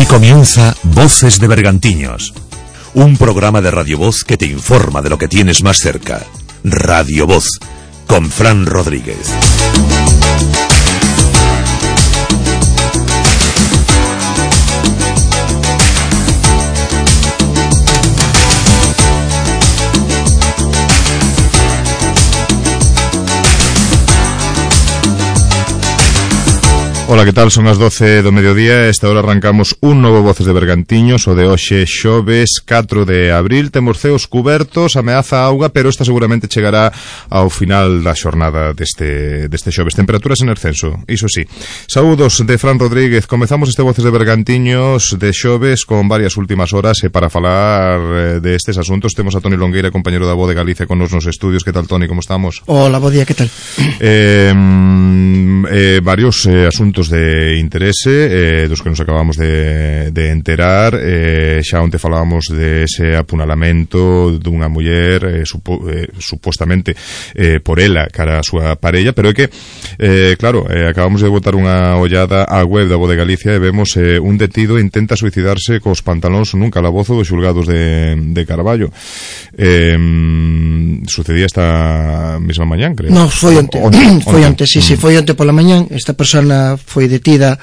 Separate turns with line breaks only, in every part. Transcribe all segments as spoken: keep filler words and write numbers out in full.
comienza Voces de Bergantiños, un programa de Radio Voz que te informa de lo que tienes más cerca. Radio Voz, con Fran Rodríguez.
Ola, que tal? Son as doce do mediodía. Esta hora arrancamos un novo Voces de Bergantiños, o de hoxe xoves catro de abril. Temos ceos cubertos, ameaza auga, pero esta seguramente chegará ao final da xornada deste, deste xoves. Temperaturas en ascenso, iso sí. Saúdos de Fran Rodríguez. Comezamos este Voces de Bergantiños de xoves con varias últimas horas, e para falar de estes asuntos temos a Toni Longueira, compañero da Voz de Galicia, con nos nos estudios. Que tal, Toni? Como estamos?
Hola, bo día, que tal?
Eh, eh, varios eh, asuntos de interese, eh, dos que nos acabamos de, de enterar. eh, xa onte falábamos de ese apunalamento dunha muller eh, supo, eh, supostamente eh, por ela cara a súa parella, pero é que eh, claro, eh, acabamos de botar unha ollada á web da Voz de Galicia e vemos eh, un detido intenta suicidarse cos pantalóns nun calabozo dos xulgados de, de Carballo. eh, sucedía esta mesma mañán, creo.
No, foi onte, onte, onte. foi onte, sí, sí, foi onte pola mañán. Esta persona foi detida,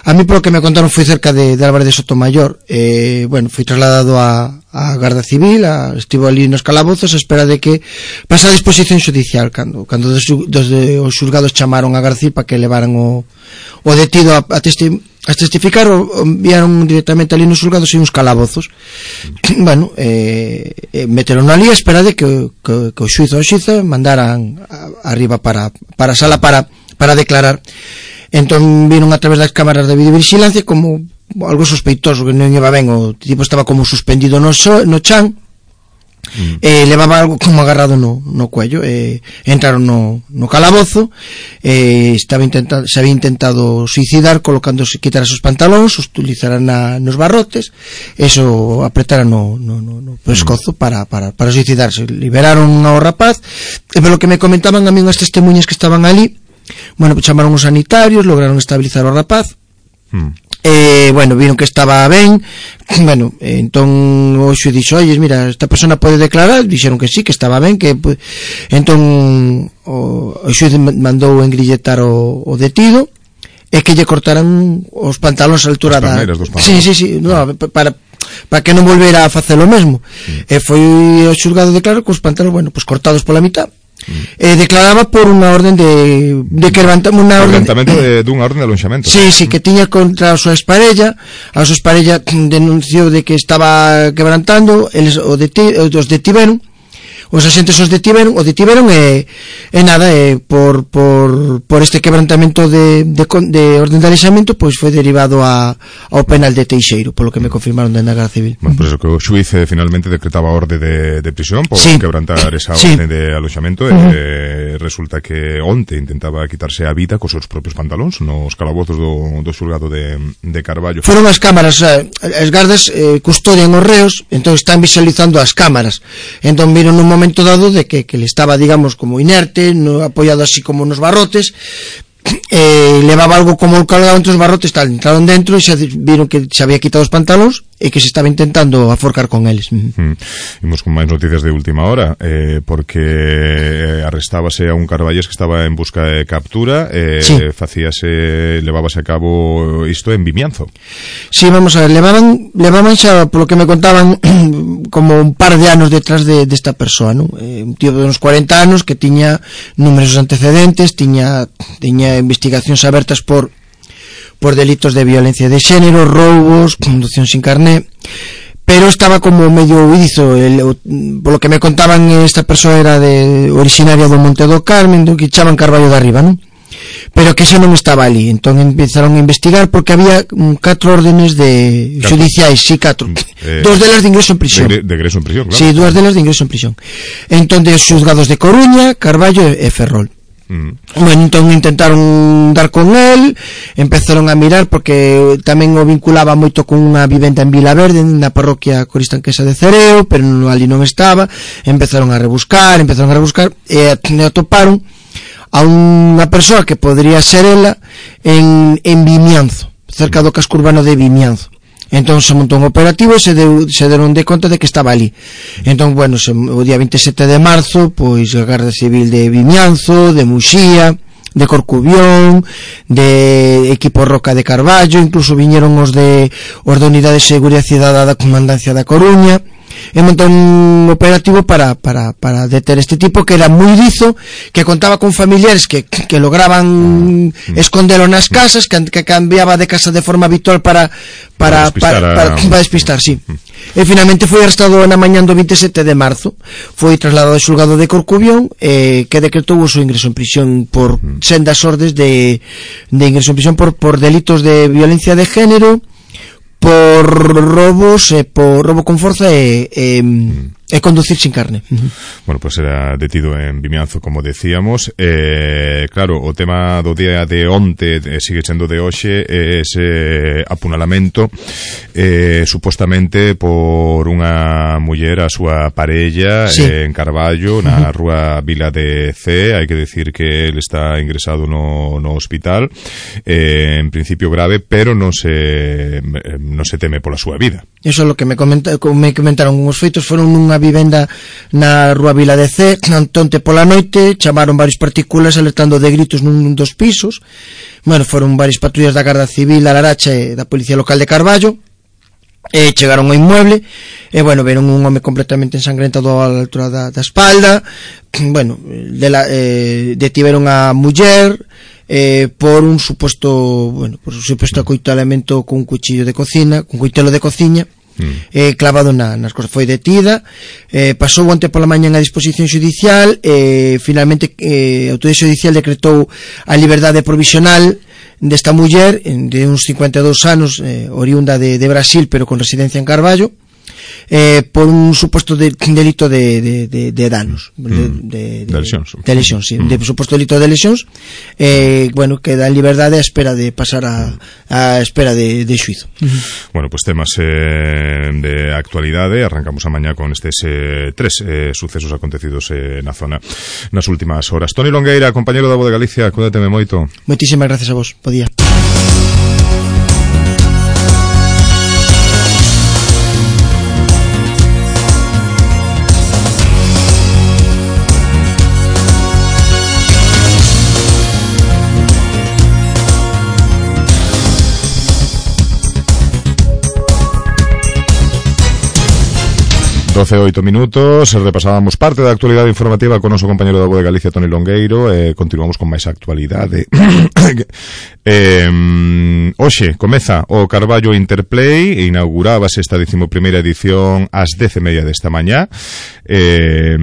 a mí polo que me contaron foi cerca de, de Álvarez de Sotomayor. eh, bueno, foi trasladado a, a Garda Civil, a, estivo ali nos calabozos a espera de que pasa a disposición xudicial, cando, cando dos, dos de, os xulgados chamaron a Garda Civil para que levaran o, o detido a, a, testi, a testificar. O, o enviaron directamente ali nos xulgados e uns calabozos. Bueno, eh, eh, meteron ali a espera de que, que, que o xuizo ou xuiza mandaran a, arriba para, para a sala para, para declarar. Entón viron a través das cámaras de videovigilancia como algo sospeitoso, que non iba ben. O tipo estaba como suspendido no, so, no chan, mm. e levaba algo como agarrado no, no cuello. E entraron no, no calabozo. E estaba intentado, se había intentado suicidar colocándose, quitar os pantalóns, os utilizaran na, nos barrotes, eso apretaran no, no, no, no pescozo mm. para, para, para suicidarse. Liberaron ao rapaz, e polo que me comentaban a mí unhas testemunhas que estaban ali, bueno, pues chamaron os sanitarios, lograron estabilizar o rapaz. Hmm. Eh, bueno, viron que estaba ben. Bueno, eh, entón o xuiz dixo: "Oyes, mira, esta persona pode declarar." Dixeron que sí, que estaba ben, que pues... entón o, o xuiz mandou engrilletar o, o detido e que lle cortaran os pantalóns á altura da... Sí, sí, sí, no, para para que non volvera a facer o mesmo. Hmm. E foi o xulgado declarar que os pantalóns, bueno, pues cortados pola mitad. Eh, declaraba por unha orden de de que levantamos unha orden
de, dunha orden de alonxamento.
Sí, sí, que tiña contra a súa exparella. A súa exparella denunciou de que estaba quebrantando, eles o deti, os detiveron. Os axentes os detiveron, o detiveron e, e nada, e por, por, por este quebrantamento de, de, de orden de alexamento, pois foi derivado a, ao penal de Teixeiro, polo que me confirmaron da Garda Civil.
Bueno, por eso que o xuiz eh, finalmente decretaba orde de, de prisión por sí. quebrantar esa orden sí. de alojamento. uh-huh. e resulta que onte intentaba quitarse a vida cos seus propios pantalóns nos calabozos do, do xulgado de, de Carballo.
Foron as cámaras, as gardas eh, custodian os reos, entón están visualizando as cámaras, entón viron un momento momento dado de que, que le estaba, digamos, como inerte, no, apoyado así como nos barrotes, eh, levaba algo como colgado entre os barrotes, tal, entraron dentro e se viron que se había quitado os pantalóns e que se estaba intentando aforcar con eles.
Mm. Imos con máis noticias de última hora, eh, porque arrestábase a un carballés que estaba en busca de captura, eh, sí. facíase, levábase a cabo isto en Vimianzo.
Sí, vamos a ver, levaban, levaban xa, polo que me contaban, como un par de anos detrás de desta de persoa, ¿no? Eh, un tío de uns cuarenta anos que tiña numerosos antecedentes, tiña, tiña investigacións abertas por por delitos de violencia de xénero, roubos, conducción sin carné, pero estaba como medio huidizo. El, por lo que me contaban, esta persoa era de originaria do Monte do Carmen, do que chaman Carballo de Arriba, ¿no? Pero que xa non estaba ali. Entón empezaron a investigar porque había um, catro órdenes de catro. judiciais, sí, catro. Eh, dos delas de ingreso en prisión.
De, de ingreso en prisión, claro.
Sí, dúas delas de ingreso en prisión. Entón, de xuzgados de Coruña, Carballo e Ferrol. Mm. Bueno, entón intentaron dar con él, empezaron a mirar porque tamén o vinculaba moito con unha vivenda en Vilaverde, na parroquia coristanquesa de Cereo, pero ali non estaba. Empezaron a rebuscar, empezaron a rebuscar e atoparon a unha persoa que podría ser ela en, en Vimianzo, cerca do casco urbano de Vimianzo. Entón se montou un operativo e se, deu, se deron de conta de que estaba ali. Entón, bueno, se, o día veintisiete de marzo, pois a Garda Civil de Vimianzo, de Muxía, de Corcubión, de equipo Roca de Carballo, incluso viñeron os de os da Unidade de Seguridade Cidadá da Comandancia da Coruña, e montou un operativo para, para, para deter este tipo que era moi dizo, que contaba con familiares que, que lograban escondelo nas casas, que, que cambiaba de casa de forma habitual para para, para, para, para, para despistar, sí. E finalmente foi arrestado na mañán do veintisiete de marzo, foi trasladado ao xulgado de Corcubión, eh, que decretou o seu ingreso en prisión por sendas ordes de, de ingreso en prisión por, por delitos de violencia de género, por robos, eh, por robo con forza e, e, e conducir sin carne.
Bueno, pues era detido en Vimianzo, como decíamos. Eh, claro, o tema do día de onte eh, sigue sendo de hoxe, eh, ese apunalamento eh, supostamente por unha muller a súa parella, sí. eh, en Carballo, na uh-huh. rúa Vila de C. Hai que decir que él está ingresado no, no hospital, eh, en principio grave, pero non se non se teme pola súa vida.
Eso é o que me, comenta, me comentaron. Os feitos foron nunha vivenda na rúa Vila de C, onte pola noite, chamaron varios partículas alertando de gritos nun dos pisos. Bueno, foron varias patrullas da Garda Civil, da Laracha e da Policía Local de Carballo, e chegaron ao inmueble, e bueno, veron un home completamente ensangrentado á altura da, da espalda. Bueno, de la, eh, detiveron a muller eh, por un suposto, bueno, por un suposto acoitalamento con un cuchillo de cocina, con un cuitelo de cociña, mm. eh, clavado na, nas cosas. Foi detida, eh, pasou onte pola mañan a disposición xudicial, e eh, finalmente eh, a autoridade xudicial decretou a liberdade provisional desta muller de uns cincuenta e dous anos, eh, oriunda de, de Brasil, pero con residencia en Carballo, eh, por un suposto de, delito de, de, de, de danos, de, de, de,
de lesións,
de lesións, sí, mm. de suposto delito de lesións. Eh, bueno, queda en liberdade a espera de pasar a, a espera de, de xuizo.
Bueno, pues temas eh, de actualidade. Arrancamos a mañá con estes eh, tres eh, sucesos acontecidos eh, na zona nas últimas horas. Toni Longueira, compañero da Voz de Galicia, cuídateme moito.
Moitísimas gracias a vos, bo día.
doce e oito minutos, repasábamos parte da actualidade informativa con o noso compañero da Voz de Galicia, Toni Longueiro, e continuamos con máis actualidade. eh, hoxe comeza o Carballo Interplay, e inaugurábase esta decimoprimeira edición ás dez e media desta mañá. Eh,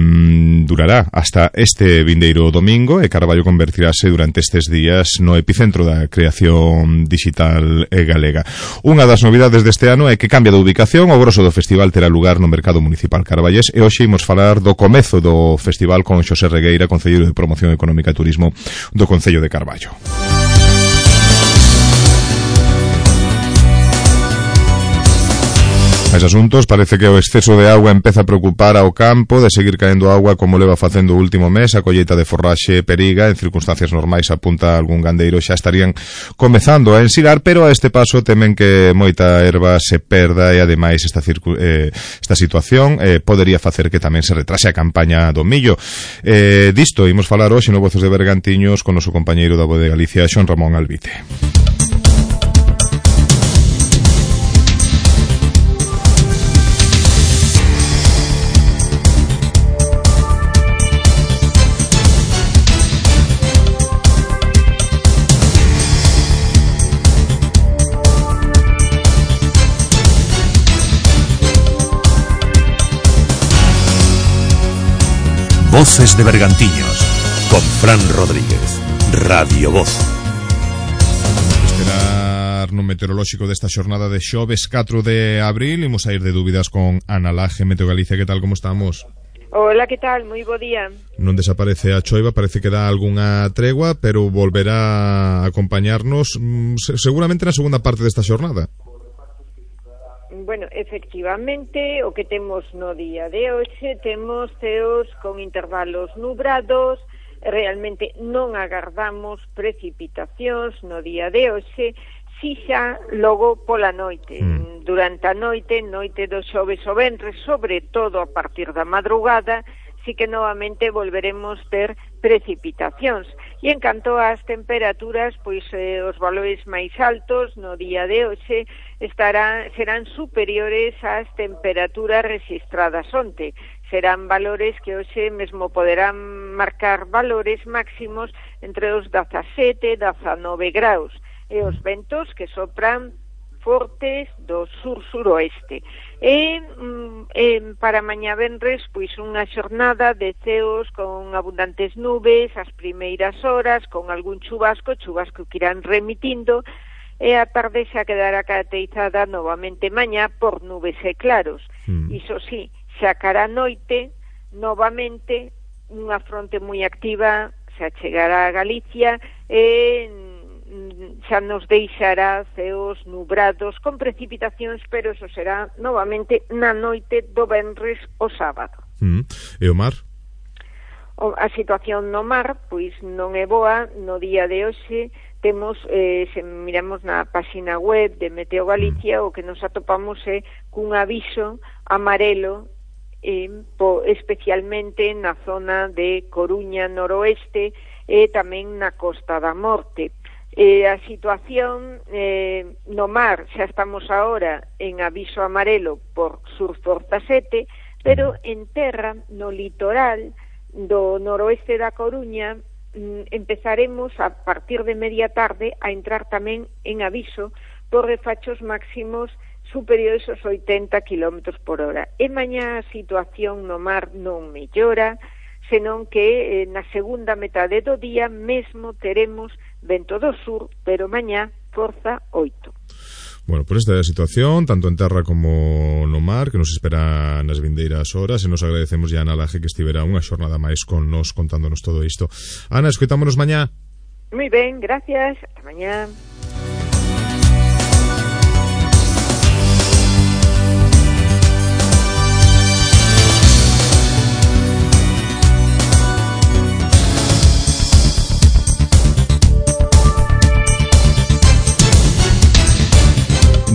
durará hasta este vindeiro domingo, e Carballo convertirase durante estes días no epicentro da creación digital galega. Unha das novidades deste ano é que cambia de ubicación. O grosso do festival terá lugar no Mercado Municipal Carballés, e hoxe imos falar do comezo do festival con Xosé Regueira, concelleiro de Promoción Económica e Turismo do Concello de Carballo. Mais asuntos, parece que o exceso de agua empeza a preocupar ao campo. De seguir caendo agua como leva facendo o último mes, a colleita de forraxe periga. En circunstancias normais, apunta algún gandeiro, xa estarían comezando a ensilar, pero a este paso temen que moita erva se perda, e ademais esta, circu- eh, esta situación eh, podería facer que tamén se retrase a campaña do millo. Eh, disto imos falar hoxe no Voces de Bergantiños con o noso compañeiro da Voz de Galicia, Xon Ramón Albite.
Voces de Bergantiños, con Fran Rodríguez, Radio Voz.
Esperar no meteorolóxico desta xornada de xoves catro de abril. Imos a ir de dúbidas con Ana Laje, Meteo Galicia. Que tal, como estamos?
Hola, que tal? Moi bo día.
Non desaparece a choiva, parece que dá algunha tregua, pero volverá a acompañarnos seguramente na segunda parte desta xornada.
Bueno, efectivamente, o que temos no día de hoxe, temos ceos con intervalos nubrados. Realmente non agardamos precipitacións no día de hoxe, si xa logo pola noite. Mm. Durante a noite, noite do xoves o venres, sobre todo a partir da madrugada, si que novamente volveremos ter precipitacións. E en canto ás temperaturas, pois eh, os valores máis altos no día de hoxe estarán, serán superiores ás temperaturas registradas onte. Serán valores que hoxe mesmo poderán marcar valores máximos entre os dezasete e dezanove graus. E os ventos que sopran fortes do sur-suroeste. E, e para mañá venres, pois unha xornada de ceos con abundantes nubes as primeiras horas, con algún chubasco, chubasco que irán remitindo, e a tarde xa quedará caracterizada novamente mañá por nubes e claros. Mm. Iso sí, xa cara a noite, novamente, unha fronte moi activa xa chegará a Galicia e xa nos deixará ceos nubrados con precipitacións, pero eso será novamente na noite do venres o sábado.
Mm. E o mar?
O, a situación no mar, pois non é boa. No día de hoxe temos, eh, se miramos na página web de Meteo Galicia, mm. o que nos atopamos é cun aviso amarelo, eh, po, especialmente na zona de Coruña noroeste e tamén na Costa da Morte. Eh, a situación eh, no mar, xa estamos agora en aviso amarelo por sur forza sete, pero en terra, no litoral do noroeste da Coruña, mm, empezaremos a partir de media tarde a entrar tamén en aviso por refachos máximos superiores aos oitenta kilómetros por hora. E mañá a situación no mar non mellora, senón que eh, na segunda metade do día mesmo teremos vento do sur, pero mañá forza oito.
Bueno, por esta é a situación, tanto en terra como no mar, que nos espera nas vindeiras horas, e nos agradecemos a Ana Laje que estivera unha xornada máis con nos contándonos todo isto. Ana, escoitámonos mañá.
Moi ben, gracias, hasta mañá.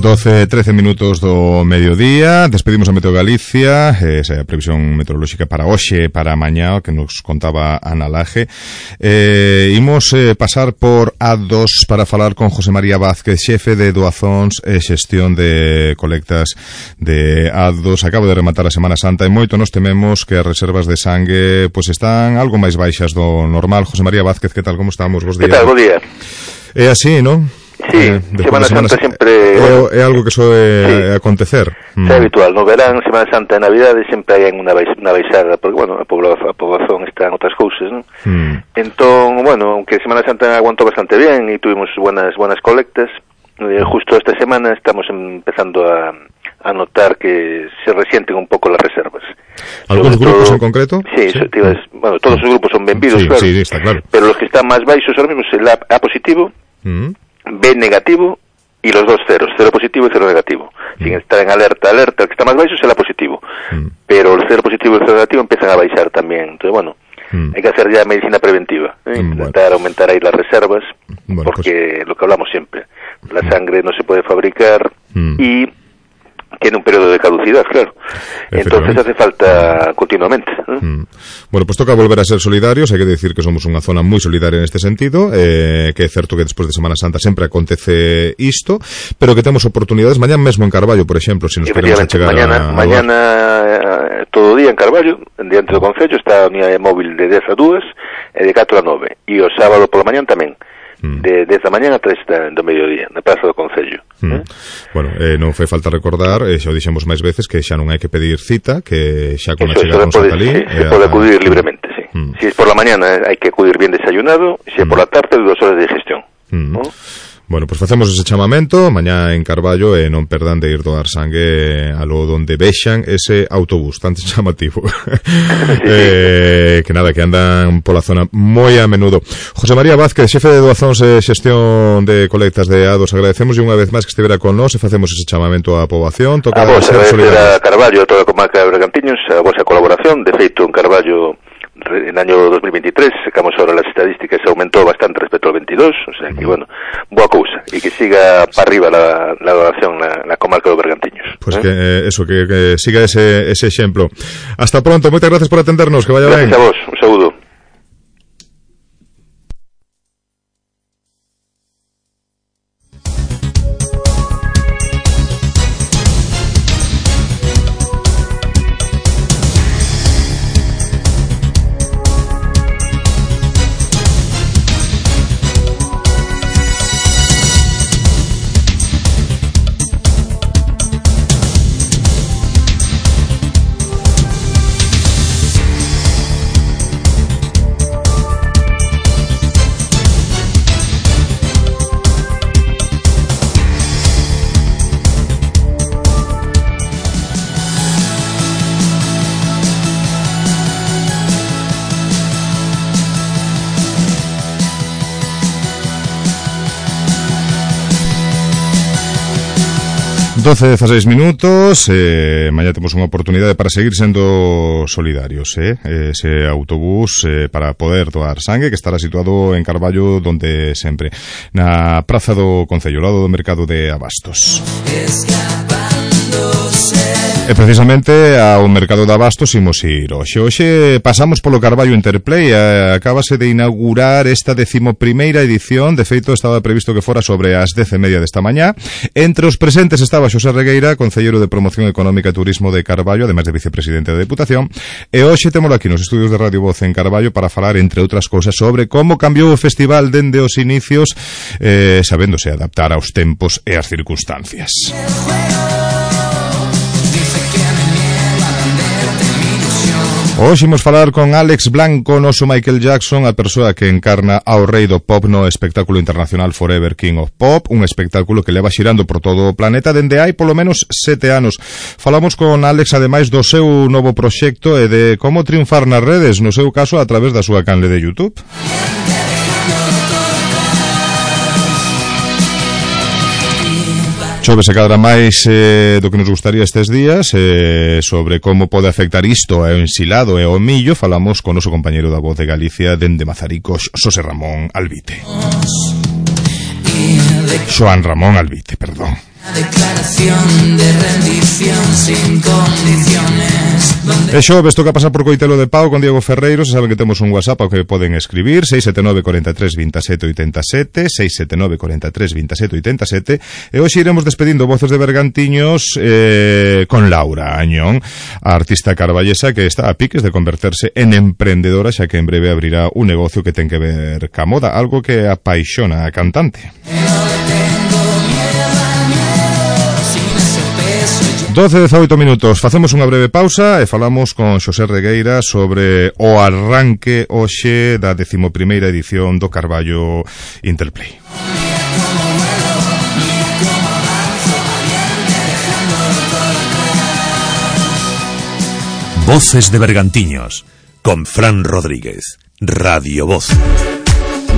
doce, trece minutos do mediodía. Despedimos a Meteo Galicia, esa é a previsión meteorolóxica para hoxe, para mañá, que nos contaba Ana Laje. Eh, imos eh, pasar por A dos para falar con José María Vázquez, xefe de doazóns e xestión de colectas de A dos. Acabo de rematar a Semana Santa e moito nos tememos que as reservas de sangue pois están algo máis baixas do normal. José María Vázquez, que tal, como estamos? Bos días.
Que tal, bo día.
É así, non?
Sí, eh, Semana Santa sempre...
É, é algo que soe sí. acontecer.
Mm. É habitual, no verán, Semana Santa e Navidade sempre hai unha, baix, unha baixada, porque, bueno, a poboación, a poboación está en outras cousas, non? Mm. Entón, bueno, aunque Semana Santa aguantou bastante bien e tuvimos buenas buenas colectas, eh, justo esta semana estamos empezando a, a notar que se resienten un pouco las reservas.
¿Algúns grupos todo, en concreto?
Sí, sí. So, tío, es, bueno, todos os grupos son benvidos, sí, claro,
sí, está claro,
pero los que están máis baixos ahora mismo es el A, A positivo, mm. B negativo y los dos ceros, cero positivo y cero negativo. Mm. Sin estar en alerta, alerta, el que está más baixo es el A positivo. Mm. Pero el cero positivo y el cero negativo empiezan a baixar también. Entonces, bueno, mm. hay que hacer ya medicina preventiva. ¿eh? Mm, Intentar bueno. aumentar ahí las reservas, bueno, porque pues... lo que hablamos siempre, la sangre no se puede fabricar mm. y tiene un periodo de caducidad, claro. Entonces hace falta continuamente. ¿eh?
Mm. Bueno, pues toca volver a ser solidarios. Hay que decir que somos unha zona moi solidaria neste sentido, eh, que é certo que despois de Semana Santa sempre acontece isto, pero que temos oportunidades mañán mesmo en Carballo, por exemplo, se si nos queremos chegar
mañana, a... Mañana eh, todo o día en Carballo, diante do Concello, está a unidade móvil de dez a dúas e de catro a nove, e o sábado pola mañán tamén, de desde a mañán a tres do mediodía na Praza do Concello.
Mm. Eh? Bueno, eh, non fai falta recordar, eh, xa o dixemos máis veces, que xa non hai que pedir cita, que xa con a chegada nos
Alí sí, se pode acudir a... libremente, sí. Mm. Si es por la mañana hai que acudir bien desayunado, si é mm. por la tarde dos horas de digestión. Mm. ¿No?
Bueno, pois pues facemos ese chamamento mañá en Carballo e non perdan de ir doar sangue a lo donde vexan ese autobús tan chamativo. Sí. eh, que nada, que andan pola zona moi a menudo. José María Vázquez, xefe de doazóns e xestión de colectas de A dos, agradecemos unha vez máis que estivera con nós e facemos ese chamamento á poboación. Toca
a vos, agradecer a Carballo, a toda a comarca de Bergantiños, a vosa colaboración. De feito, en Carballo en el año dos mil veintitrés, sacamos ahora las estadísticas, se aumentó bastante respecto al veintidós, o sea que, bueno, boa cousa, y que siga para arriba la, la donación na, na comarca do Bergantiños.
Pues
¿eh?
que, eh, eso, que, que siga ese, ese exemplo. Hasta pronto, moitas gracias por atendernos, que vaya
gracias
ben.
Gracias a vos, un saúdo.
doce dezasseis minutos, eh, mañá temos unha oportunidade para seguir sendo solidarios, eh? Ese autobús eh, para poder doar sangue que estará situado en Carballo, donde sempre, na praza do Concello, ao lado do mercado de Abastos. E precisamente ao mercado de Abastos imos ir hoxe. Hoxe pasamos polo Carballo Interplay, eh, acabase de inaugurar esta decimoprimeira edición, de feito estaba previsto que fora sobre as dez e media desta mañá. Entre os presentes estaba Xosé Regueira, concelleiro de Promoción Económica e Turismo de Carballo, ademais de vicepresidente da Deputación, e hoxe temos aquí nos estudios de Radio Voz en Carballo para falar, entre outras cousas, sobre como cambiou o festival dende os inicios, eh, sabéndose adaptar aos tempos e as circunstancias. Hoxe imos falar con Alex Blanco, noso Michael Jackson, a persoa que encarna ao rei do pop no espectáculo internacional Forever King of Pop, un espectáculo que leva xirando por todo o planeta dende hai polo menos sete anos. Falamos con Alex ademais do seu novo proxecto e de como triunfar nas redes, no seu caso a través da súa canle de YouTube. Chove se cadra máis eh, do que nos gustaría estes días, eh, sobre como pode afectar isto ao ensilado e ao millo. Falamos con o noso compañeiro da Voz de Galicia dende Mazaricos, Xosé Ramón Albite. Xoán Ramón Albite, perdón. Declaración de rendición sin condiciones. E xo, ves toca pasar por Coitelo de Pau con Diego Ferreiro. Se saben que temos un WhatsApp ao que poden escribir seis sete nove, cuatro tres, dos sete, oito sete, seis sete nove, cuatro tres, dos sete, oito sete. E hoxe iremos despedindo Voces de Bergantiños eh, con Laura Añón, a artista carballesa que está a piques de converterse en emprendedora, xa que en breve abrirá un negocio que ten que ver ca moda, algo que apaixona a cantante. doce dezaoito minutos, facemos unha breve pausa e falamos con Xosé Regueira sobre o arranque hoxe da decimoprimeira edición do Carballo Interplay.
Voces de Bergantiños con Fran Rodríguez, Radio Voz.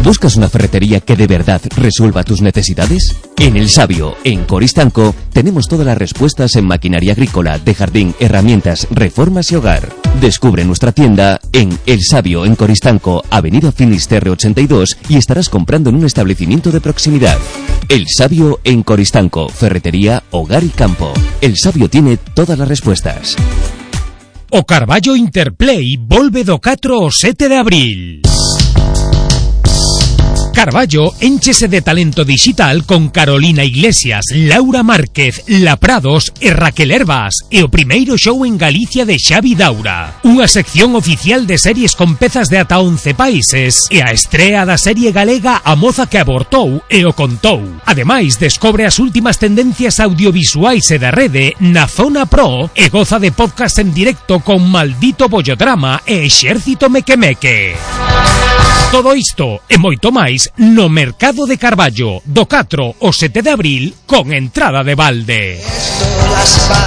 ¿Buscas una ferretería que de verdad resuelva tus necesidades? En El Sabio, en Coristanco, tenemos todas las respuestas en maquinaria agrícola, de jardín, herramientas, reformas y hogar. Descubre nuestra tienda en El Sabio, en Coristanco, Avenida Finisterre ochenta y dos, y estarás comprando en un establecimiento de proximidad. El Sabio en Coristanco, ferretería, hogar y campo. El Sabio tiene todas las respuestas.
O Carballo Interplay volve do catro ao sete de abril. Carballo énchese de talento digital con Carolina Iglesias, Laura Márquez, La Prados e Raquel Herbas, e o primeiro show en Galicia de Xavi Daura. Unha sección oficial de series con pezas de ata once países e a estrea da serie galega A Moza que Abortou e o Contou. Ademais, descobre as últimas tendencias audiovisuais e da rede na Zona Pro e goza de podcast en directo con Maldito Bollodrama e Exército Mequemeque. Todo isto e moito máis no Mercado de Carballo do catro ao sete de abril con entrada de balde.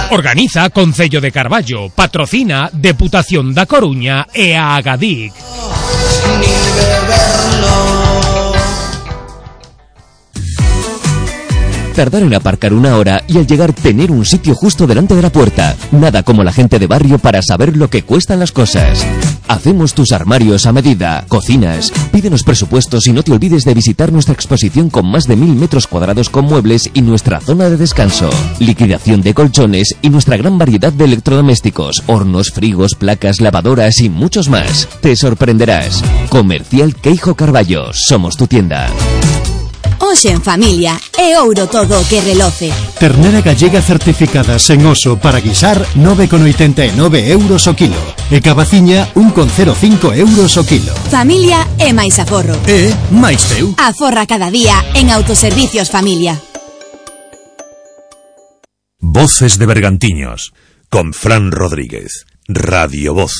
Organiza Concello de Carballo, patrocina Deputación da Coruña e a Agadic.
Tardar en aparcar una hora y al llegar tener un sitio justo delante de la puerta. Nada como la gente de barrio para saber lo que cuestan las cosas. Hacemos tus armarios a medida. Cocinas. Pídenos presupuestos y no te olvides de visitar nuestra exposición con más de mil metros cuadrados con muebles y nuestra zona de descanso. Liquidación de colchones y nuestra gran variedad de electrodomésticos, hornos, frigos, placas, lavadoras y muchos más. Te sorprenderás. Comercial Queijo Carballo. Somos tu tienda.
Hoxe en familia é ouro todo o que reloce.
Ternera gallega certificada sen oso para guisar nove con oitenta e nove euros o kilo. E cabaciña un con cero cinco euros o kilo.
Familia é máis aforro.
É máis teu.
Aforra cada día en Autoservicios Familia.
Voces de Bergantiños con Fran Rodríguez. Radio Voz.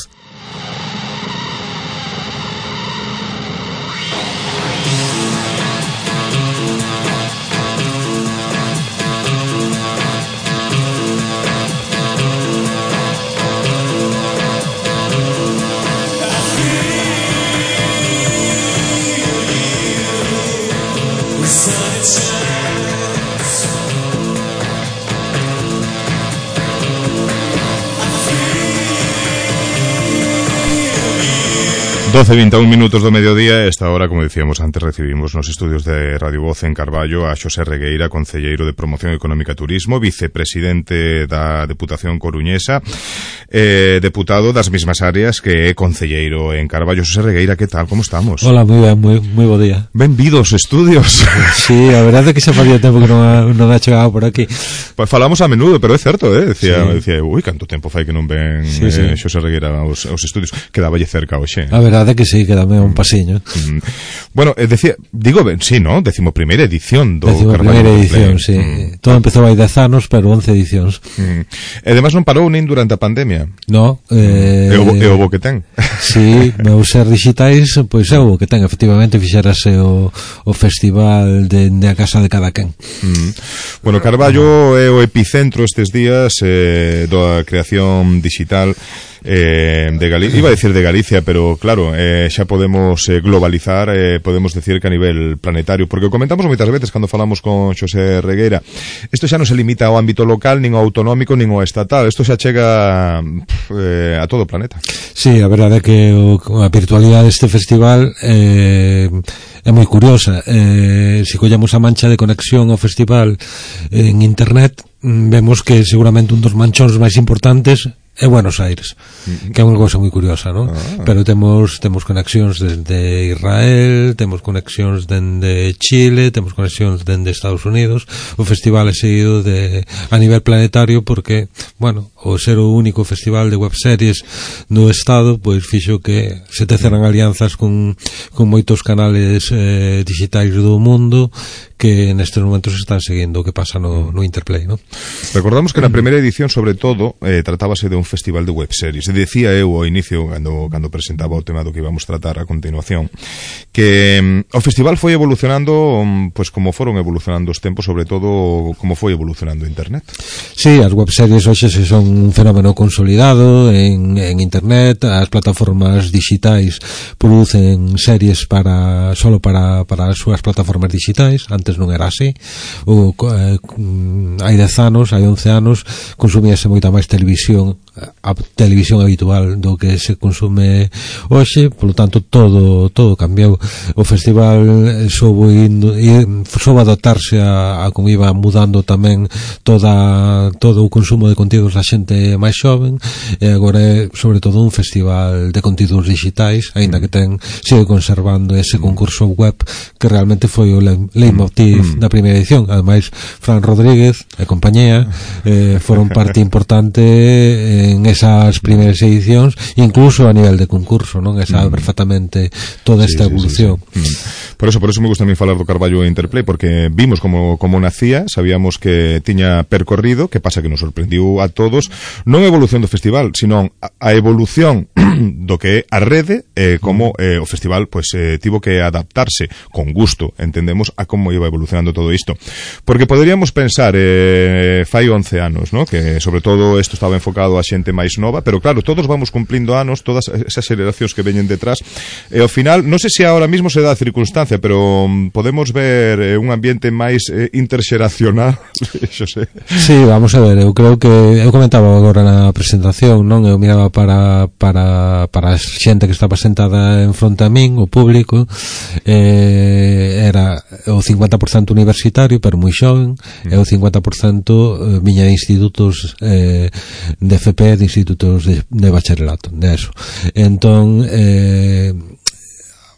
doce e vinte e un minutos do mediodía. Esta hora, como dicíamos antes, recibimos nos estudios de Radio Voz en Carballo a Xosé Regueira, concelleiro de Promoción Económica e Turismo, vicepresidente da Deputación Coruñesa, eh, deputado das mesmas áreas que é concelleiro en Carballo. Xosé Regueira, que tal? Como estamos?
Hola, moi ben, moi, moi bo día.
Benvidos estudios.
Sí, a verdade é que xa facía tempo que non ha, non ha chegado por aquí.
Pues falamos a menudo, pero é certo, eh? Decía,
sí.
decía, ui, canto tempo fai que non ven
sí, sí.
eh, Xosé Regueira aos, aos estudios. Quedaballe cerca hoxe.
A verdade é que sí, quedame un pasiño.
Mm. Bueno, eh, decía, digo, ben, sí, ¿no? Decimo primeira edición do
Decimo
Carballo.
Primeira edición, sí. Mm. Todo empezou hai dez anos, pero once edicións.
Mm. E además non parou nin durante a pandemia.
No, eh...
É o, é o bo que ten.
Sí, meus ser digitais, pois é o bo que ten. Efectivamente, fixerase o, o festival de, de a casa de cada quen.
Mm. Bueno, Carballo é o epicentro estes días eh, da creación digital eh, de Galicia, iba a decir de Galicia, pero claro, eh, xa podemos eh, globalizar, eh, podemos decir que a nivel planetario, porque comentamos moitas veces cando falamos con Xosé Regueira, isto xa non se limita ao ámbito local, nin ao autonómico, nin ao estatal, isto xa chega eh, a todo o planeta.
Sí, a verdade é que o, a virtualidade deste festival eh, é moi curiosa. Eh, se collemos a mancha de conexión ao festival en internet, vemos que seguramente un dos manchóns máis importantes é Buenos Aires, que é unha cousa moi curiosa, non? Ah. Pero temos temos conexións desde Israel, temos conexións dende Chile, temos conexións dende Estados Unidos. O festival é seguido de a nivel planetario porque, bueno, o ser o único festival de webseries no estado, pois fixo que se teceran alianzas con, con moitos canales eh, digitais do mundo que nestes momentos están seguindo o que pasa no, no Interplay, non?
Recordamos que na primeira edición, sobre todo, eh, tratábase de un festival de webseries. E decía eu ao inicio, cando, cando presentaba o tema do que íbamos tratar a continuación, que um, o festival foi evolucionando, um, pues como foron evolucionando os tempos, sobre todo como foi evolucionando Internet.
Sí, as webseries hoxe se son un fenómeno consolidado en, en Internet. As plataformas digitais producen series para solo para, para as súas plataformas digitais. Antes non era así. O, eh, hai dez anos, hai once anos, consumíase moita máis televisión, a televisión habitual do que se consume hoxe, polo tanto todo todo cambiou. O festival soubo indo, soubo adaptarse a, a como iba mudando tamén toda todo o consumo de contidos da xente máis xoven, e agora é sobre todo un festival de contidos digitais, aínda que ten sigue conservando ese concurso web que realmente foi o leitmotiv da primeira edición. Ademais, Fran Rodríguez e compañía eh, foron parte importante en esas primeiras edicións, incluso a nivel de concurso, non? E sabe perfectamente toda esta sí, evolución.
Sí, sí, sí. Por eso, por eso me gusta a mí falar do Carballo Interplay, porque vimos como, como nacía, sabíamos que tiña percorrido, que pasa que nos sorprendiu a todos, non a evolución do festival, sino a, a evolución do que é a rede, eh, como eh, o festival pues, eh, tivo que adaptarse con gusto, entendemos, a como iba evolucionando todo isto. Porque poderíamos pensar, eh, fai once anos, ¿no? Que sobre todo isto estaba enfocado a xente máis nova, pero claro, todos vamos cumplindo anos, todas esas xeracións que veñen detrás, e ao final, non sei se agora mismo se dá a circunstancia, pero um, podemos ver eh, un ambiente máis eh, interxeracional, xo sei.
Sí, vamos a ver, eu creo que eu comentaba agora na presentación, non? Eu miraba para para para, para a xente que estaba sentada en fronte a min, o público, eh, era o cincuenta por cento universitario, pero moi xoven, e o cincuenta por cento viña de institutos eh, de F P, de institutos de, de bacharelato, de eso. Entón, eh,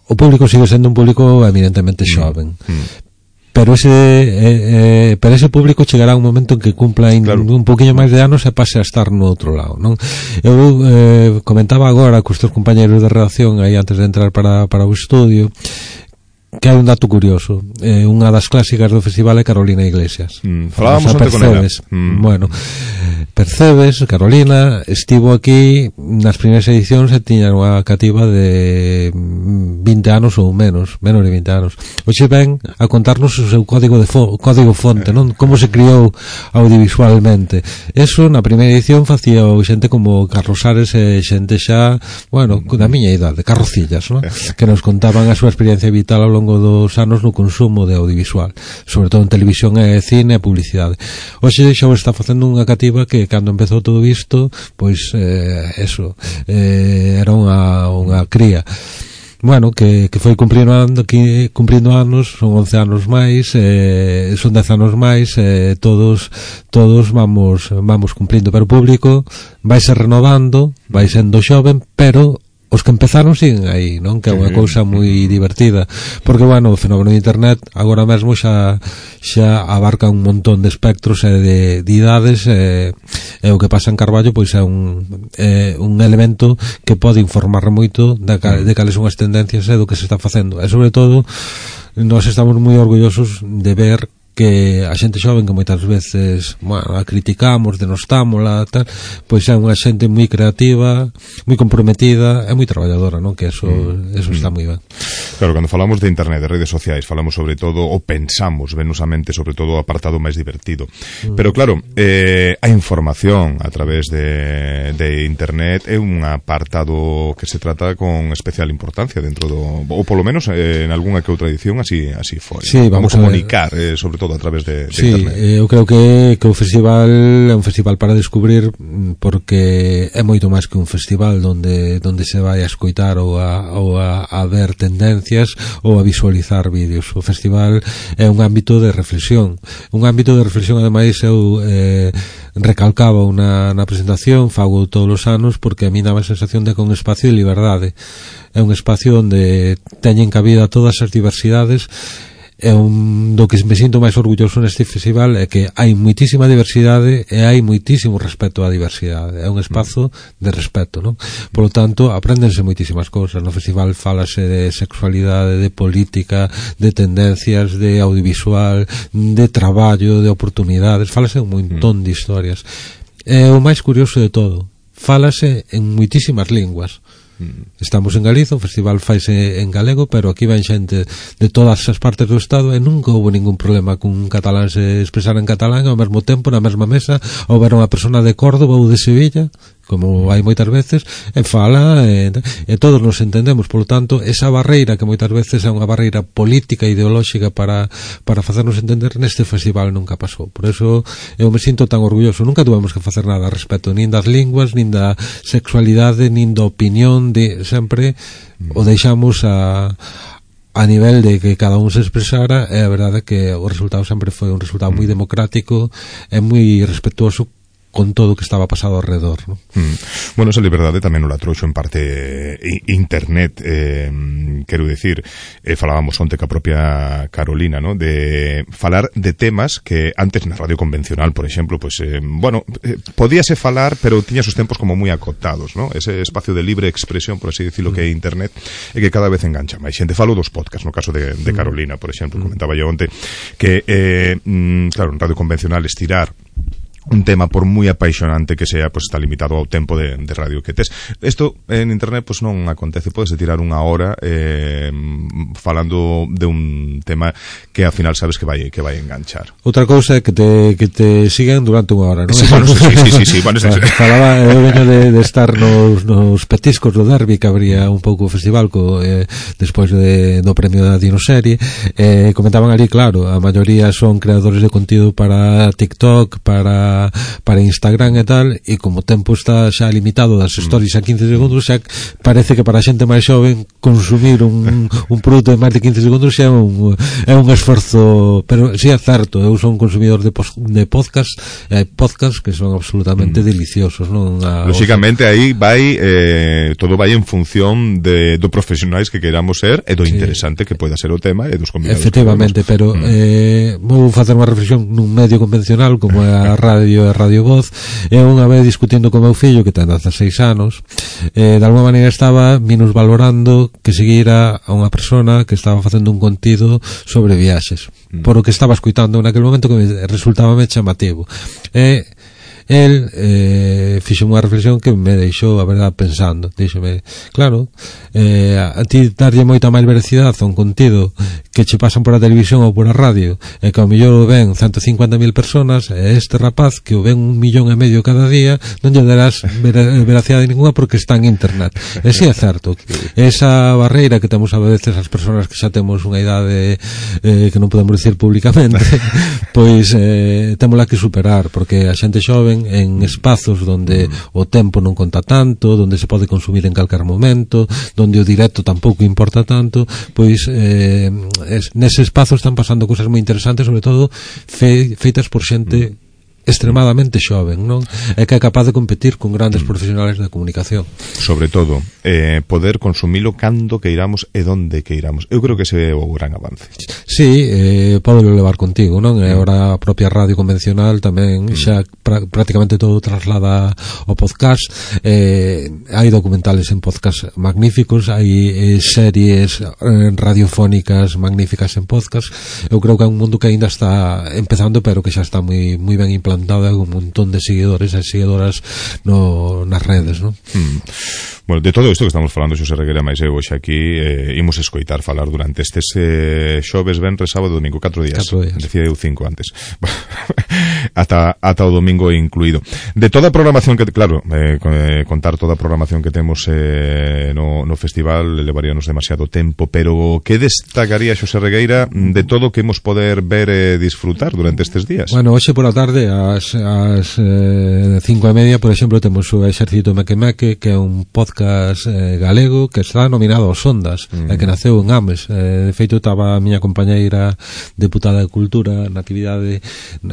o público sigue sendo un público eminentemente xoven. Mm. Pero ese eh, eh, pero ese público chegará un momento en que cumpla in, claro. un poquinho máis de anos e pase a estar no outro lado, non? Eu eh, comentaba agora cos teus compañeros de redacción aí antes de entrar para, para o estudio que hai un dato curioso. Eh, unha das clásicas do festival é Carolina Iglesias.
Mm, falábamos onte con ela.
Mm. Bueno, Percebes, Carolina, estivo aquí nas primeiras edicións e tiña unha cativa de vinte anos ou menos, menos de vinte anos. Hoxe ven a contarnos o seu código de fo código fonte, non? Como se criou audiovisualmente. Eso na primeira edición facía o xente como Carlos Ares e xente xa, bueno, da miña idade, carrocillas, non? Que nos contaban a súa experiencia vital ao longo dos anos no consumo de audiovisual, sobre todo en televisión e cine e publicidade. Hoxe xa está facendo unha cativa que cando empezou todo isto, pois eh, eso, eh, era unha, unha cría. Bueno, que, que foi cumprindo, que, cumprindo anos, son once anos máis, eh, son dez anos máis, eh, todos todos vamos vamos cumprindo, pero o público vai se renovando, vai sendo xoven, pero os que empezaron siguen aí, non? Que é unha cousa moi divertida, porque, bueno, o fenómeno de internet agora mesmo xa xa abarca un montón de espectros e de, de idades, e, e o que pasa en Carballo pois é un é un elemento que pode informar moito de, de cales son as tendencias e do que se está facendo, e sobre todo nós estamos moi orgullosos de ver que a xente xoven que moitas veces, bueno, a criticamos, denostámola, tal, pois é unha xente moi creativa, moi comprometida e moi traballadora, non? Que eso, mm. eso está moi ben.
Claro, cando falamos de internet, de redes sociais, falamos sobre todo, ou pensamos venosamente sobre todo o apartado máis divertido. Mm. Pero claro, eh, a información a través de, de internet é un apartado que se trata con especial importancia dentro do, ou polo menos eh, en algunha que outra edición así así foi.
Sí, vamos
Como comunicar, eh, sobre todo a través de, de
sí,
internet.
Sí, eu creo que, que o festival é un festival para descubrir, porque é moito máis que un festival donde donde se vai a escoitar ou a, ou a, a ver tendencias ou a visualizar vídeos. O festival é un ámbito de reflexión, un ámbito de reflexión, ademais eu eh, recalcaba na, na presentación, fago todos os anos, porque a mí dá a sensación de que é un espacio de liberdade, é un espacio onde teñen cabida todas as diversidades. É un do que me sinto máis orgulloso neste festival é que hai moitísima diversidade e hai moitísimo respeto á diversidade. É un espazo de respeto, non? Por lo tanto, apréndense moitísimas cousas. No festival falase de sexualidade, de política, de tendencias, de audiovisual, de traballo, de oportunidades. Falase un montón de historias. É o máis curioso de todo. Falase en moitísimas linguas. Estamos en Galiza, o festival faise en galego, pero aquí ven xente de todas as partes do estado e nunca houve ningún problema con un catalán se expresar en catalán ao mesmo tempo, na mesma mesa, ou ver unha persona de Córdoba ou de Sevilla, como hai moitas veces, e fala e, e todos nos entendemos. Por lo tanto, esa barreira que moitas veces é unha barreira política e ideolóxica para, para facernos entender, neste festival nunca pasou. Por eso eu me sinto tan orgulloso. Nunca tuvemos que facer nada a respecto, nin das linguas, nin da sexualidade, nin da opinión, de, sempre o deixamos a a nivel de que cada un se expresara, e a verdade é que o resultado sempre foi un resultado moi democrático e moi respetuoso con todo o que estaba pasado alrededor, ¿no?
Mm. Bueno, esa liberdade tamén o la trouxo en parte eh, internet, eh, quero dicir, eh, falábamos onte ca propia Carolina, ¿no? De falar de temas que antes na radio convencional, por exemplo, pues, eh, bueno, eh, podíase falar, pero tiñas os tempos como moi acotados, ¿no? Ese espacio de libre expresión, por así decirlo, mm. que é internet, e que cada vez engancha máis xente. Falo dos podcasts, no caso de, de Carolina, por exemplo, mm. comentaba yo onte, que, eh, mm, claro, en radio convencional estirar un tema, por moi apaixonante que sea, pues está limitado ao tempo de, de radio que tes. Isto en internet pues non acontece, podes tirar unha hora eh, falando de un tema que ao final sabes que vai que vai enganchar.
Outra cousa é que te, que te sigan durante unha hora, non?
Sí, bueno, sí, sí, sí, sí, bueno, sí.
Falaba, eu veño de, de estar nos, nos petiscos do Derby, que abría un pouco o festival co, eh, despois de, do premio da Dinoserie, eh, comentaban ali, claro, a maioría son creadores de contido para TikTok, para para para Instagram e tal, e como o tempo está xa limitado das stories a quince segundos, xa parece que para a xente máis xoven consumir un, un produto de máis de quince segundos xa é un, é un esforzo, pero si sí é certo, eu son un consumidor de, pos, de podcast, hai podcast que son absolutamente mm. deliciosos, non? A,
lógicamente o sea, aí vai eh, todo vai en función de do profesionais que queramos ser e do sí. interesante que poida ser o tema e dos convidados.
Efectivamente, pero mm. eh, vou facer unha reflexión nun medio convencional como é a radio e Radio Voz. E unha vez discutindo con meu fillo que ten dezaseis anos, eh, de alguma maneira estaba minusvalorando que seguira a unha persona que estaba facendo un contido sobre viaxes, mm. por o que estaba escuitando naquele momento que me resultaba me chamativo. E el eh, fixo unha reflexión que me deixou, a verdade, pensando. Díxome, claro, eh, a ti darlle moita máis veracidade a un contido que che pasan por a televisión ou por a radio, e que ao mellor o ven ciento cincuenta mil personas, e este rapaz que o ven un millón e medio cada día non lle darás ver veracidade ninguna porque está en internet. E si é certo, esa barreira que temos a veces as persoas que xa temos unha idade eh, que non podemos dicir públicamente, pois eh, témola que superar, porque a xente xoven en espazos donde o tempo non conta tanto, donde se pode consumir en calquer momento, donde o directo tampouco importa tanto, pois eh, es, nese espazo están pasando cousas moi interesantes, sobre todo fe, feitas por xente extremadamente xoven, non? É que é capaz de competir con grandes profesionales da comunicación.
Sobre todo, eh, poder consumilo cando que iramos e donde que iramos. Eu creo que ese é o gran avance.
Sí, eh, podelo levar contigo, non? E agora a propia radio convencional tamén xa pra, prácticamente todo traslada ao podcast. Eh, hai documentales en podcast magníficos, hai eh, series eh, radiofónicas magníficas en podcast. Eu creo que é un mundo que ainda está empezando, pero que xa está moi moi ben implantado, un montón de seguidores e seguidoras no, nas redes, non?
Mm. Bueno, de todo isto que estamos falando, Xosé Regueira máis eu hoxe aquí, eh, imos escoitar falar durante estes eh, xoves, venres, sábado, domingo, catro días.
Catro días.
Decía eu cinco antes. ata, ata o domingo incluído. De toda a programación que, claro, eh, contar toda a programación que temos eh, no, no festival levaríanos demasiado tempo, pero que destacaría, Xosé Regueira, de todo que hemos poder ver e disfrutar durante estes días?
Bueno, hoxe por a tarde, ás, ás eh, cinco e media, por exemplo, temos o Exército Meque Meque, que é un podcast eh, galego que está nominado aos Ondas, mm. e que naceu en Ames. Eh, de feito, estaba a miña compañeira deputada de Cultura na actividade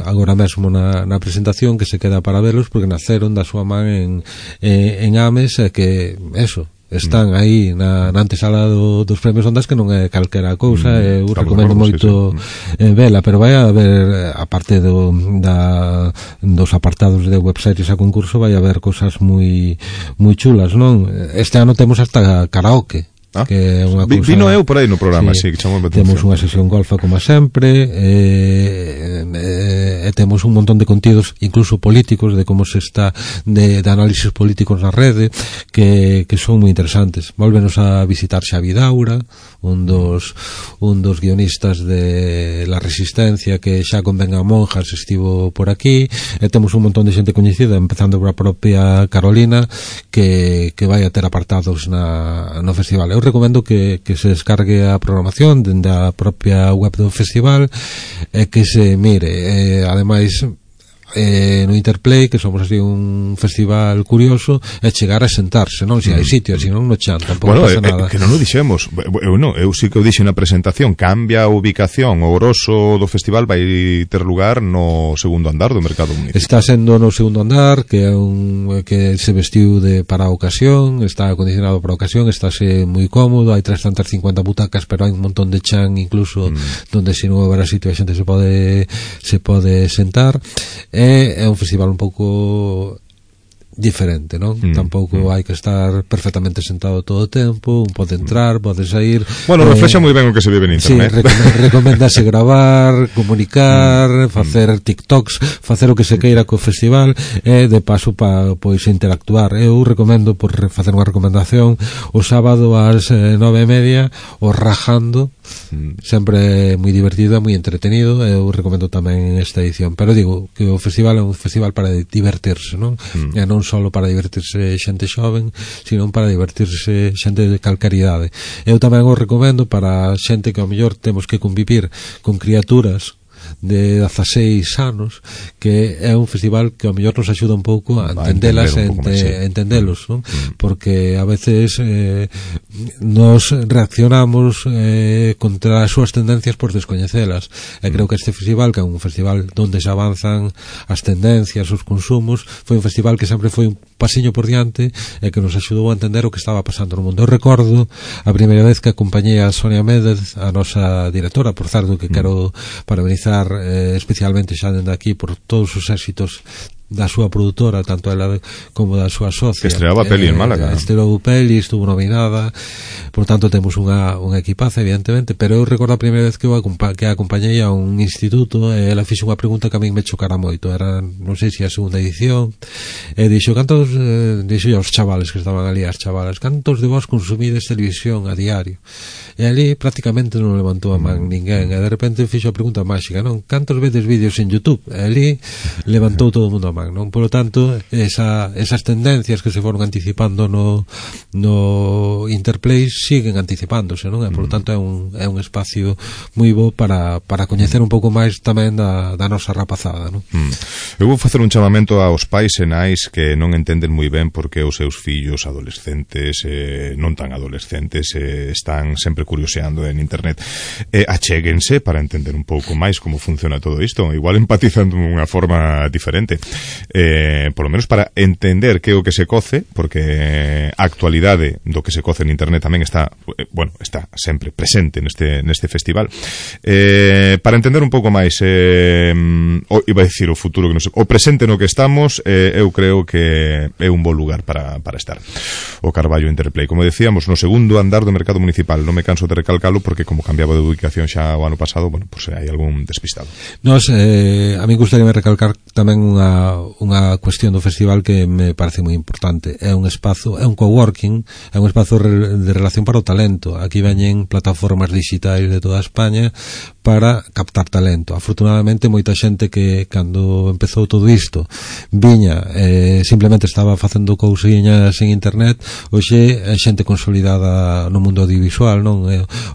agora mesmo na, na presentación, que se queda para velos porque naceron da súa man en, eh, en Ames, e que, eso, están aí na, na antesala do, dos premios Ondas, que non é calquera cousa, mm, eu recomendo claro, moito sí, sí. Eh, vela, pero vai a haber, aparte do, da, dos apartados de webseries a concurso, vai a haber cousas moi moi chulas, non? Este ano temos hasta karaoke. Ah, que é unha cousa,
vino eu por aí no programa, sí, sí, que
temos unha sesión golfa como sempre, e, e, e temos un montón de contidos incluso políticos, de como se está de, de análisis políticos na rede, que, que son moi interesantes. Volvenos a visitar Xavi Daura, un dos un dos guionistas de La Resistencia, que xa con Ben a Monjas estivo por aquí, e temos un montón de xente coñecida, empezando por a propia Carolina, que, que vai a ter apartados na, no festival. Eu recomendo que, que se descargue a programación dende a propia web do festival e que se mire. Eh, ademais, eh, no Interplay, que somos así un festival curioso, é chegar a sentarse, non? Se hai sitio, se non no chan, tampouco
bueno,
pasa
eh,
nada.
Que non o dixemos, eu non, eu sí que o dixo na presentación, cambia a ubicación, o grosso do festival vai ter lugar no segundo andar do Mercado Municipal.
Está sendo no segundo andar, que é un que se vestiu de para a ocasión, está acondicionado para a ocasión, estáse moi cómodo, hai trescentas cincuenta butacas, pero hai un montón de chan incluso mm. donde se non haberá sitio a xente se pode se pode sentar. É, é un festival un pouco diferente, non? Mm, tampouco mm. hai que estar perfectamente sentado todo o tempo, un pode entrar, pode sair.
Bueno, eh, reflexa moi ben o que se vive en internet.
Sí, recom recomendase gravar, comunicar, mm, facer TikToks, facer o que se queira co festival, e de paso pa pois interactuar. Eu recomendo, por facer unha recomendación, o sábado ás eh, nove e media, o Rajando, mm. sempre moi divertido, moi entretenido. Eu recomendo tamén esta edición, pero digo que o festival é un festival para divertirse, non? Mm. E non solo para divertirse xente xoven, sino para divertirse xente de calcaridade. Eu tamén o recomendo para xente que ao mellor temos que convivir con criaturas de dezaseis anos, que é un festival que ao mellor nos axuda un pouco a entendelas e ente, entendelos, non? Mm. Porque a veces eh, nos reaccionamos eh, contra as súas tendencias por descoñecelas, e creo que este festival, que é un festival onde se avanzan as tendencias, os consumos, foi un festival que sempre foi un pasiño por diante e que nos axudou a entender o que estaba pasando no mundo. Eu recordo a primeira vez que acompañei a Sonia Méndez, a nosa directora, por certo, que quero parabenizar eh, especialmente xa dende aquí por todos os éxitos da súa produtora, tanto ela como da súa socia,
que estreaba
eh,
peli en Málaga,
estreou peli, estuvo nominada, por tanto temos unha, unha equipaza evidentemente, pero eu recordo a primeira vez que eu acompa que acompañei a un instituto e ela fixo unha pregunta que a min me chocara moito, era, non sei se a segunda edición, e dixo, cantos eh, dixo aos chavales que estaban ali, as chavalas, cantos de vos consumides televisión a diario? E ali prácticamente non levantou a man ninguén, e de repente fixo a pregunta máxica, non? Cantos vedes vídeos en YouTube? E ali levantou todo o mundo a man, non? Por lo tanto, esa, esas tendencias que se foron anticipando no, no Interplay siguen anticipándose, non? E por lo tanto é un, é un espacio moi bo para, para coñecer un pouco máis tamén da, da nosa rapazada, non?
Mm. Eu vou facer un chamamento aos pais e nais que non entenden moi ben porque os seus fillos adolescentes, eh, non tan adolescentes, eh, están sempre curioseando en internet. Eh, achéguense para entender un pouco máis como funciona todo isto, igual empatizando de unha forma diferente, eh, por lo menos para entender que é o que se coce, porque a actualidade do que se coce en internet tamén está, eh, bueno, está sempre presente neste, neste festival. Eh, para entender un pouco máis, eh, o, iba a dicir o futuro, que non sei, o presente no que estamos, eh, eu creo que é un bo lugar para, para estar. O Carballo Interplay, como decíamos, no segundo andar do mercado municipal. Non me canso de recalcalo porque como cambiaba de ubicación xa o ano pasado, bueno, pues hai algún despistado.
Nos, eh, a mí gustaríame recalcar tamén unha, unha cuestión do festival que me parece moi importante. É un espazo, é un coworking, é un espazo de relación para o talento. Aquí veñen plataformas digitais de toda España para captar talento. Afortunadamente, moita xente que cando empezou todo isto viña, eh, simplemente estaba facendo cousiñas en internet, hoxe é xente consolidada no mundo audiovisual, non?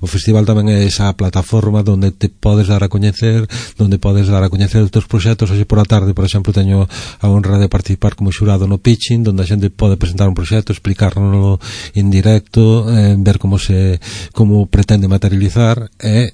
O festival tamén é esa plataforma onde te podes dar a coñecer, onde podes dar a coñecer os teus proxectos. Hoxe por a tarde, por exemplo, teño a honra de participar como xurado no pitching, onde a xente pode presentar un proxecto, explicarlo en directo, eh, ver como se como pretende materializar e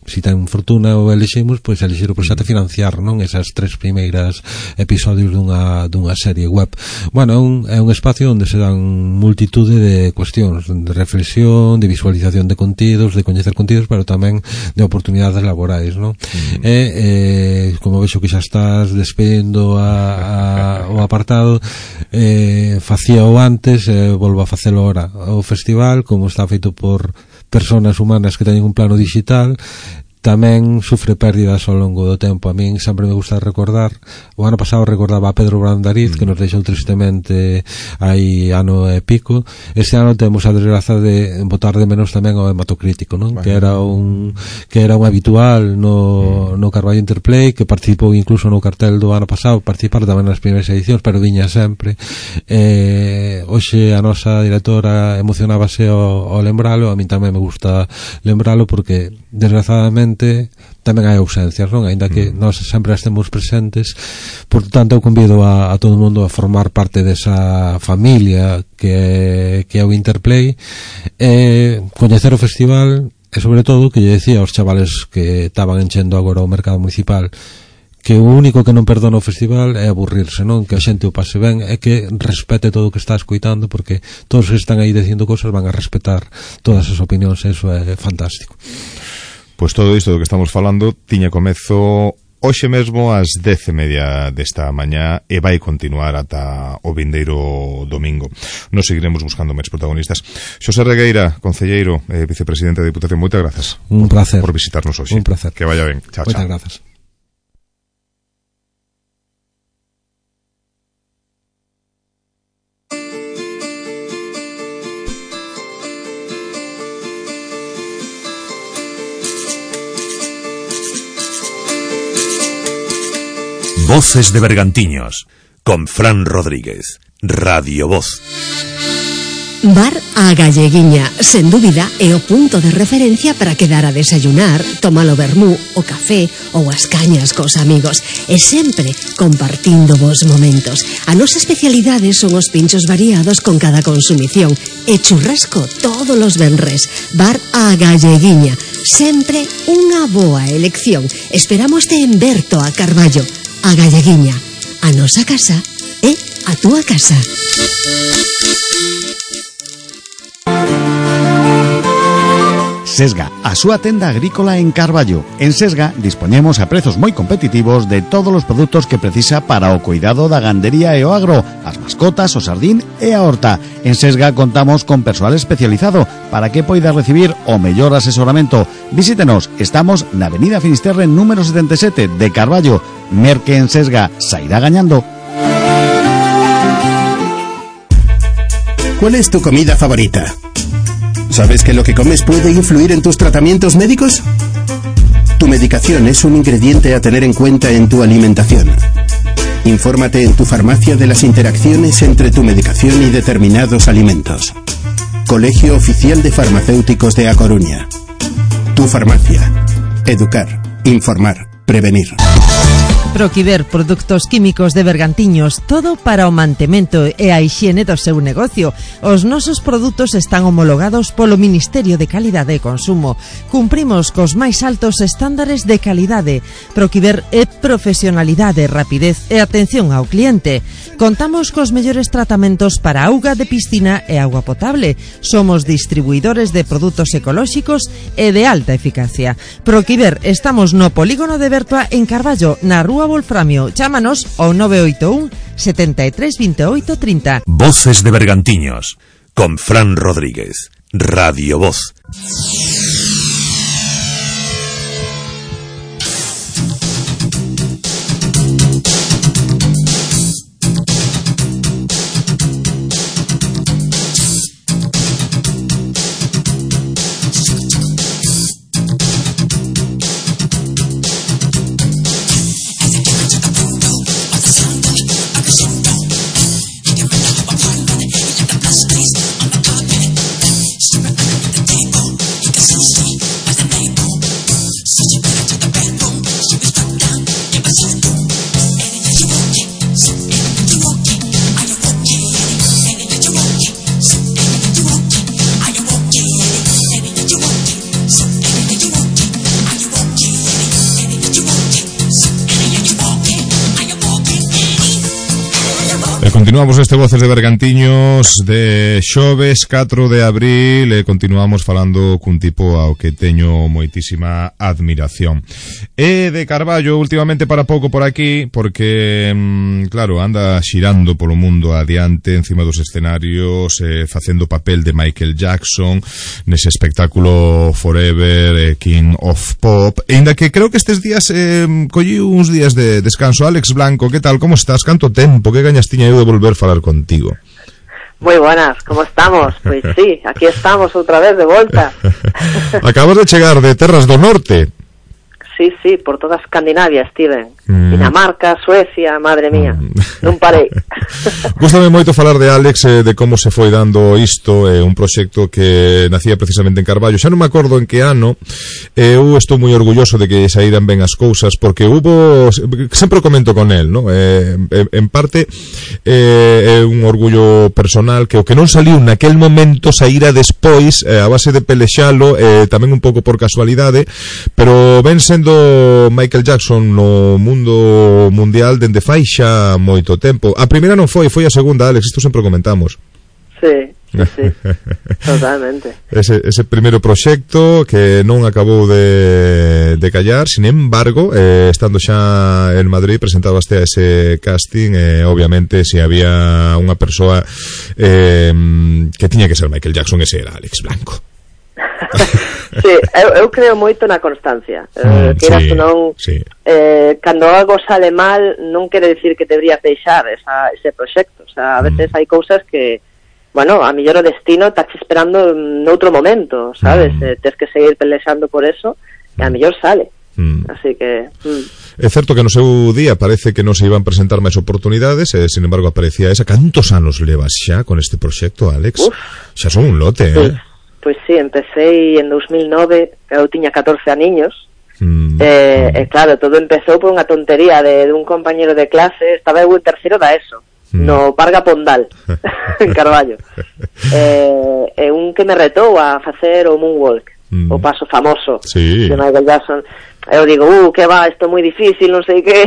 si ten fortuna ou eliximos, pois elixir o proxecto e financiar, non? Esas tres primeiras episodios dunha, dunha serie web. Bueno, é un, é un espacio onde se dan multitude de cuestións, de reflexión, de visualización de contidos, de coñecer contidos, pero tamén de oportunidades laborais, non? Mm. E, eh, como vexo que xa estás despedindo a, a, o apartado, eh, facía o antes, eh, volvo a facelo ahora. O festival, como está feito por personas humanas que teñen un plano digital, tamén sufre pérdidas ao longo do tempo. A min sempre me gusta recordar, o ano pasado recordaba a Pedro Brandariz, mm. que nos deixou tristemente hai ano e pico. Este ano temos a desgraza de botar de menos tamén ao hematocrítico, non? Vale. Que era un que era un habitual no, mm. no Carballo Interplay, que participou incluso no cartel do ano pasado, participar tamén nas primeiras edicións, pero viña sempre. Eh, hoxe a nosa directora emocionábase ao, ao lembralo. A min tamén me gusta lembralo porque desgrazadamente tamén hai ausencias, non? Ainda que mm. nós sempre estemos presentes. Por tanto, eu convido a, a todo o mundo a formar parte desa familia que, que é o Interplay, e coñecer o festival, e sobre todo, que lle decía aos chavales que estaban enchendo agora o mercado municipal, que o único que non perdona o festival é aburrirse, non? Que a xente o pase ben e que respete todo o que está escoitando, porque todos que están aí dicindo cosas van a respetar todas as opinións, e iso é fantástico.
Pois todo isto do que estamos falando tiña comezo hoxe mesmo ás dez e media desta mañá e vai continuar ata o vindeiro domingo. Nos seguiremos buscando máis protagonistas. Xosé Regueira, concelleiro e vicepresidente da Diputación, moitas grazas.
Un placer.
Por visitarnos hoxe.
Un placer.
Que vaya ben. Chao,
moitas
chao.
Grazas.
Voces de Bergantiños, con Fran Rodríguez, Radio Voz.
Bar A Galleguiña, sen dúbida, é o punto de referencia para quedar a desayunar, tomar o vermú, o café ou as cañas cos amigos, e sempre compartindo vos momentos. A nosa especialidade son os pinchos variados con cada consumición e churrasco todos os venres. Bar A Galleguiña, sempre unha boa elección. Esperámoste en Berto a Carballo. A Galleguiña, a nosa casa é a túa casa.
Sesga, a súa tenda agrícola en Carballo. En Sesga dispoñemos a prezos moi competitivos de todos os produtos que precisa para o cuidado da gandería e o agro, as mascotas, o sardín e a horta. En Sesga contamos con persoal especializado para que poida recibir o mellor asesoramento. Visítenos, estamos na Avenida Finisterre número setenta e sete de Carballo. Merque en Sesga, sairá gañando.
¿Cuál es tu comida favorita? ¿Sabes que lo que comes puede influir en tus tratamientos médicos? Tu medicación es un ingrediente a tener en cuenta en tu alimentación. Infórmate en tu farmacia de las interacciones entre tu medicación y determinados alimentos. Colegio Oficial de Farmacéuticos de A Coruña. Tu farmacia. Educar, informar, prevenir.
Proquiver, produtos químicos de Bergantiños, todo para o mantemento e a hixiene do seu negocio. Os nosos produtos están homologados polo Ministerio de Calidade e Consumo. Cumprimos cos máis altos estándares de calidade. Proquiver é profesionalidade, rapidez e atención ao cliente. Contamos cos mellores tratamentos para auga de piscina e auga potable. Somos distribuidores de produtos ecolóxicos e de alta eficacia. Proquiver, estamos no polígono de Bertoa en Carballo, na rúa Wolframio. Chámanos ao nove oito un, setenta e tres, veintiocho, treinta.
Voces de Bergantiños con Fran Rodríguez. Radio Voz.
Continuamos este Voces de Bergantiños de xoves catro de abril e continuamos falando cun tipo ao que teño moitísima admiración. E de Carballo últimamente para pouco por aquí porque, claro, anda xirando polo mundo adiante encima dos escenarios, eh, facendo papel de Michael Jackson nese espectáculo Forever, eh, King of Pop, e ainda que creo que estes días eh, collí uns días de descanso. Alex Blanco, que tal, como estás? Canto tempo, que gañas tiña eu de volver a falar contigo.
Moi buenas, como estamos? Pois sí, aquí estamos outra vez de volta.
Acabas de chegar de terras do norte.
Sí, sí, por toda Escandinavia estiven. Mm. Dinamarca, Suecia, madre mía, mm. non parei.
Gústame moito falar de Alex, eh, de como se foi dando isto, eh, un proxecto que nacía precisamente en Carballo. Xa non me acordo en que ano, eh, eu estou moi orgulloso de que saíran ben as cousas, porque hubo, sempre o comento con él, ¿no? Eh, en parte, eh, é un orgullo personal que o que non saliu naquel momento saíra despois, eh, a base de pelexalo, eh, tamén un pouco por casualidade, pero ven sendo Michael Jackson no mundo mundial dende fai xa moito tempo. A primeira non foi, foi a segunda, Alex, isto sempre o comentamos.
Sí, sí, sí. Totalmente.
Ese, ese primeiro proxecto que non acabou de, de callar, sin embargo, eh, estando xa en Madrid presentabaste a ese casting, eh, obviamente se había unha persoa eh, que tiña que ser Michael Jackson, ese era Alex Blanco.
Sí, eu, eu creo moito na constancia, eh,
mm,
que eras
sí,
non
sí.
eh, cando algo sale mal non quere decir que deberías deixar esa, ese proxecto, o sea, a veces mm. hai cousas que, bueno, a mellor o destino está te esperando noutro momento, sabes, mm. eh, tens que seguir pelexando por eso e a mellor sale, mm. así que mm.
É certo que no seu día parece que non se iban presentar máis oportunidades, e, sin embargo, aparecía esa. Cantos anos levas xa con este proxecto, Alex? Uf. Xa son un lote,
pues,
eh?
Pois pues sí, empecé en dos mil nove, eu tiña catorce aniños, mm. eh, mm. e claro, todo empezou por unha tontería de, de un compañero de clase, estaba eu en terceiro da ESO, mm. no Parga Pondal, en Carballo, eh, e un que me retou a facer o Moonwalk, mm. o paso famoso
sí.
de Michael Jackson. Eu digo, uh, que va, isto é moi difícil, non sei que.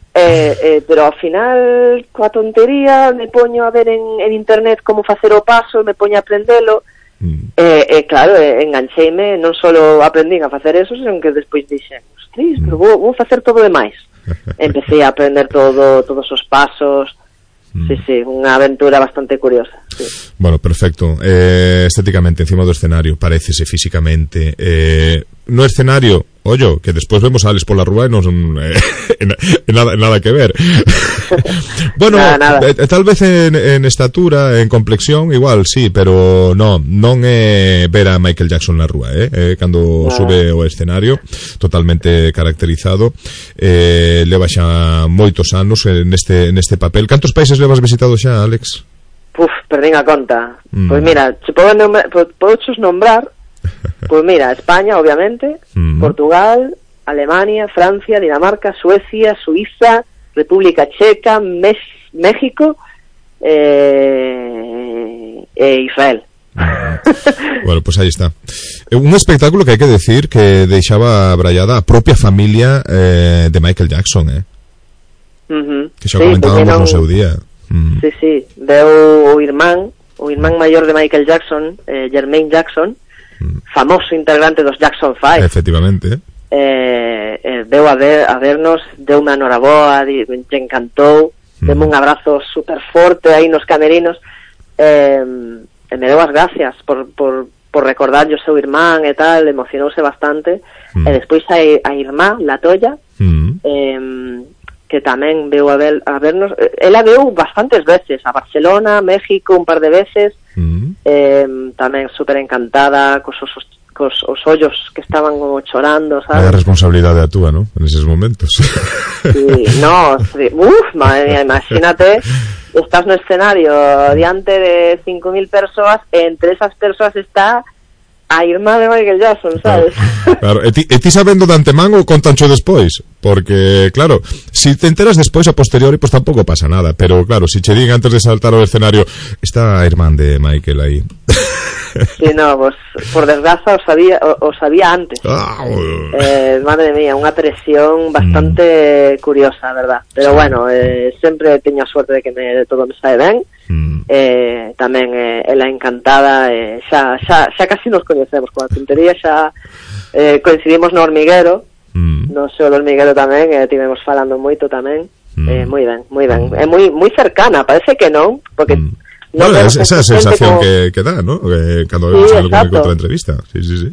eh, eh, pero ao final, coa tontería, me poño a ver en, en internet como facer o paso, me poño a aprendelo, mm. e eh, eh, claro, eh, engancheime, non só aprendín a facer eso, senón que despois dixen, ostras, pero vou, vou facer todo demais. Empecé a aprender todo, todos os pasos. Mm. Sí, sí, unha aventura bastante curiosa, sí.
Bueno, perfecto. Eh, estéticamente, encima do escenario, parécese físicamente, eh, no escenario, ollo, que despois vemos a Alex pola rúa e non son eh, nada, nada que ver. Bueno, nada, nada. Eh, tal vez en, en estatura, en complexión, igual, sí, pero no, non é ver a Michael Jackson na rúa, eh, eh cando nada. Sube ao escenario, totalmente caracterizado, eh, leva xa moitos anos neste, neste papel. Cantos países levas visitado xa, Alex?
Puf, perdín a conta. Mm. Pois mira, se podo nombrar, podo nombrar. Pois mira, España, obviamente, mm. Portugal, Alemania, Francia, Dinamarca, Suecia, Suiza, República Checa, Mes México eh, e Israel.
Bueno, pues aí está. Un espectáculo que hai que decir que deixaba abrallada a propia familia eh, de Michael Jackson, eh?
Uh-huh.
Que xa sí, comentábamos non... no seu día.
Mm. Sí, sí, veo o irmán, o irmán maior de Michael Jackson, eh, Jermaine Jackson, mm. famoso integrante dos Jackson Five.
Efectivamente.
Eh, eh, veo a ver a vernos, deu unha noraboa, te encantou, mm. deme un abrazo super forte aí nos camerinos, eh, e me deu as gracias por, por, por recordar o seu irmán e tal, emocionouse bastante, mm. e despois a, a irmá, la Toya, mm. eh, que tamén veu a, ver, a vernos, ela veu bastantes veces a Barcelona, México un par de veces, mm. eh, tamén super encantada cos os, cos os ollos que estaban como chorando, sabes?
A responsabilidade a túa, ¿no? En eses momentos.
Sí, no, sí. Uf, madre mía, imagínate, estás no escenario diante de cinco mil persoas e entre esas persoas está a irmá de Michael Jackson, sabes?
Claro, claro. E, ti, e ti sabendo de antemán ou contancho despois? Porque, claro, si te enteras despois a posteriori, pues tampouco pasa nada, pero claro, si che din antes de saltar ao escenario, está a irmán de Michael aí.
Sí, no, pues, por desgraza o sabía, o, o sabía antes. Ah, eh, madre mía, unha presión bastante mm. curiosa, verdad. Pero sí. Bueno, eh, sempre teño a suerte de que me, de todo me sae ben. Mm. Eh, tamén eh, ela encantada, eh, xa, xa, xa casi nos coñecemos coa tontería, xa eh, coincidimos no hormiguero, mm. no sei, o hormiguero tamén, eh, tivemos falando moito tamén. Mm. Eh, moi ben, moi ben. É moi moi cercana, parece que non, porque mm.
No, bueno, es, esa sensación como... que, que da, ¿no? Que cando vemos sí, algo en outra entrevista. Sí, sí, sí.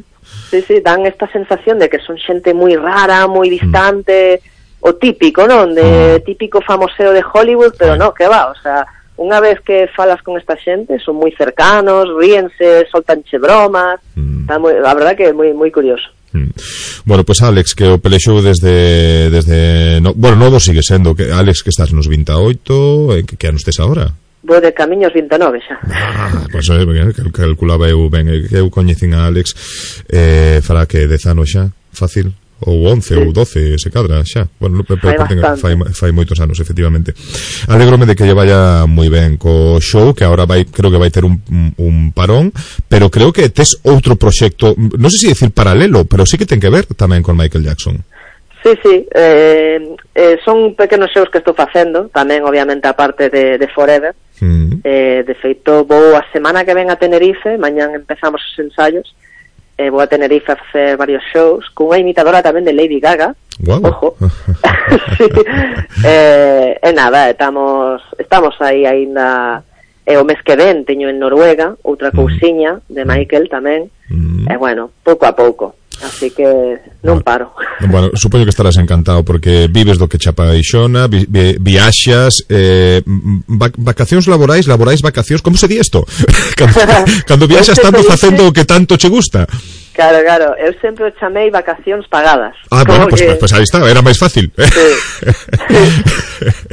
Sí, sí, dan esta sensación de que son xente moi rara, moi distante, mm. o típico, non? De mm. típico famoseo de Hollywood, pero no, que va, o sea, unha vez que falas con esta xente, son moi cercanos, ríense, soltanche bromas, mm. está moi, a verdad que é moi moi curioso.
Mm. Bueno, pues Alex, que o pelexou desde desde no, bueno, novo sigue sendo, que Alex que estás nos veintiocho, que, que anos tes agora?
Vou de camiños vinte e nove xa.
Ah, pois pues, eh, calculaba eu ben, que eu coñecín a Alex eh, fará que dez anos xa, fácil, ou once, sí. ou doce, se cadra xa. Bueno, fai, fai, fai moitos anos, efectivamente. Alégrome de que lle vaya moi ben co show, que agora vai, creo que vai ter un, un parón, pero creo que tes outro proxecto, non sei se decir paralelo, pero sí que ten que ver tamén con Michael Jackson.
Sí, sí, eh, eh, son pequenos shows que estou facendo, tamén obviamente a parte de, de Forever. Mm. Eh, de feito vou a semana que ven a Tenerife, mañán empezamos os ensaios, eh, vou a Tenerife a facer varios shows cunha imitadora tamén de Lady Gaga.
Wow.
Ojo. Sí. eh, e nada, estamos estamos aí aínda, e o mes que ven teño en Noruega outra cousiña de Michael tamén, mm. e bueno, pouco a pouco. Así que non paro.
Bueno, supoño que estarás encantado porque vives do que chapa Ixona, vi, vi, viaxas, eh, vac, vacacións laborais, laborais vacacións, como se di isto? cando, cando viaxas tanto facendo o que tanto che gusta.
Claro, claro, eu sempre o chamei vacacións pagadas.
Ah, bueno, pues, que... pues, pues aí está, era máis fácil.
Sí.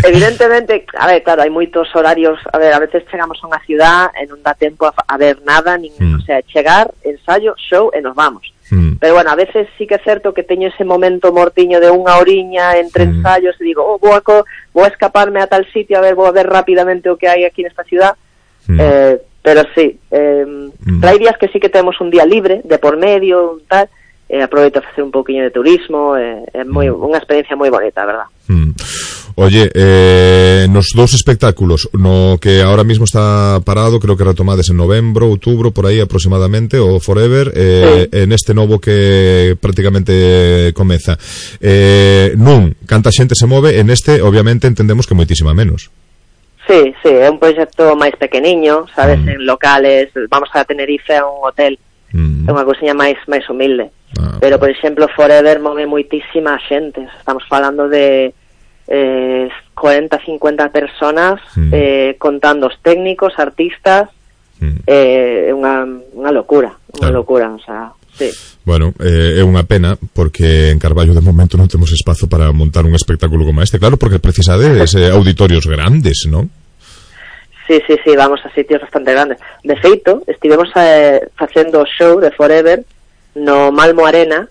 Evidentemente, a ver, claro, hai moitos horarios, a ver, a veces chegamos a unha ciudad e non dá tempo a, a ver nada, nin, mm. o sea, chegar, ensayo, show e nos vamos. Mm. Pero bueno, a veces sí que é certo que teño ese momento mortiño de unha oriña entre mm. ensayos e digo, oh, vou a, co, vou a escaparme a tal sitio, a ver, vou a ver rápidamente o que hai aquí nesta ciudad. Mm. Eh, pero sí, eh, mm. hai días que sí que temos un día libre, de por medio, tal, e aproveito a facer un pouquiño de turismo, é eh, moi, mm. unha experiencia moi bonita, verdad.
Mm. Oye, eh, nos dous espectáculos, no que ahora mismo está parado, creo que retomades en novembro, outubro, por aí aproximadamente, o Forever, eh, sí. En este novo que prácticamente comeza. Eh, nun, canta xente se move, en este, obviamente, entendemos que moitísima menos.
Sí, sí, é un proxecto máis pequeniño, sabes, mm. en locales, vamos a Tenerife a un hotel, mm. é unha cousiña máis máis humilde. Ah, pero, por exemplo, Forever move moitísima xente, estamos falando de eh, cuarenta, cincuenta personas, mm. eh, contando os técnicos, artistas, mm. eh, é unha, unha locura, unha claro. locura, o sea, sí.
Bueno, eh, é unha pena porque en Carballo de momento non temos espazo para montar un espectáculo como este, claro, porque precisades eh, auditorios grandes, non?
Sí, sí, sí, vamos a sitios bastante grandes. De feito, estivemos eh, facendo o show de Forever no Malmo Arena,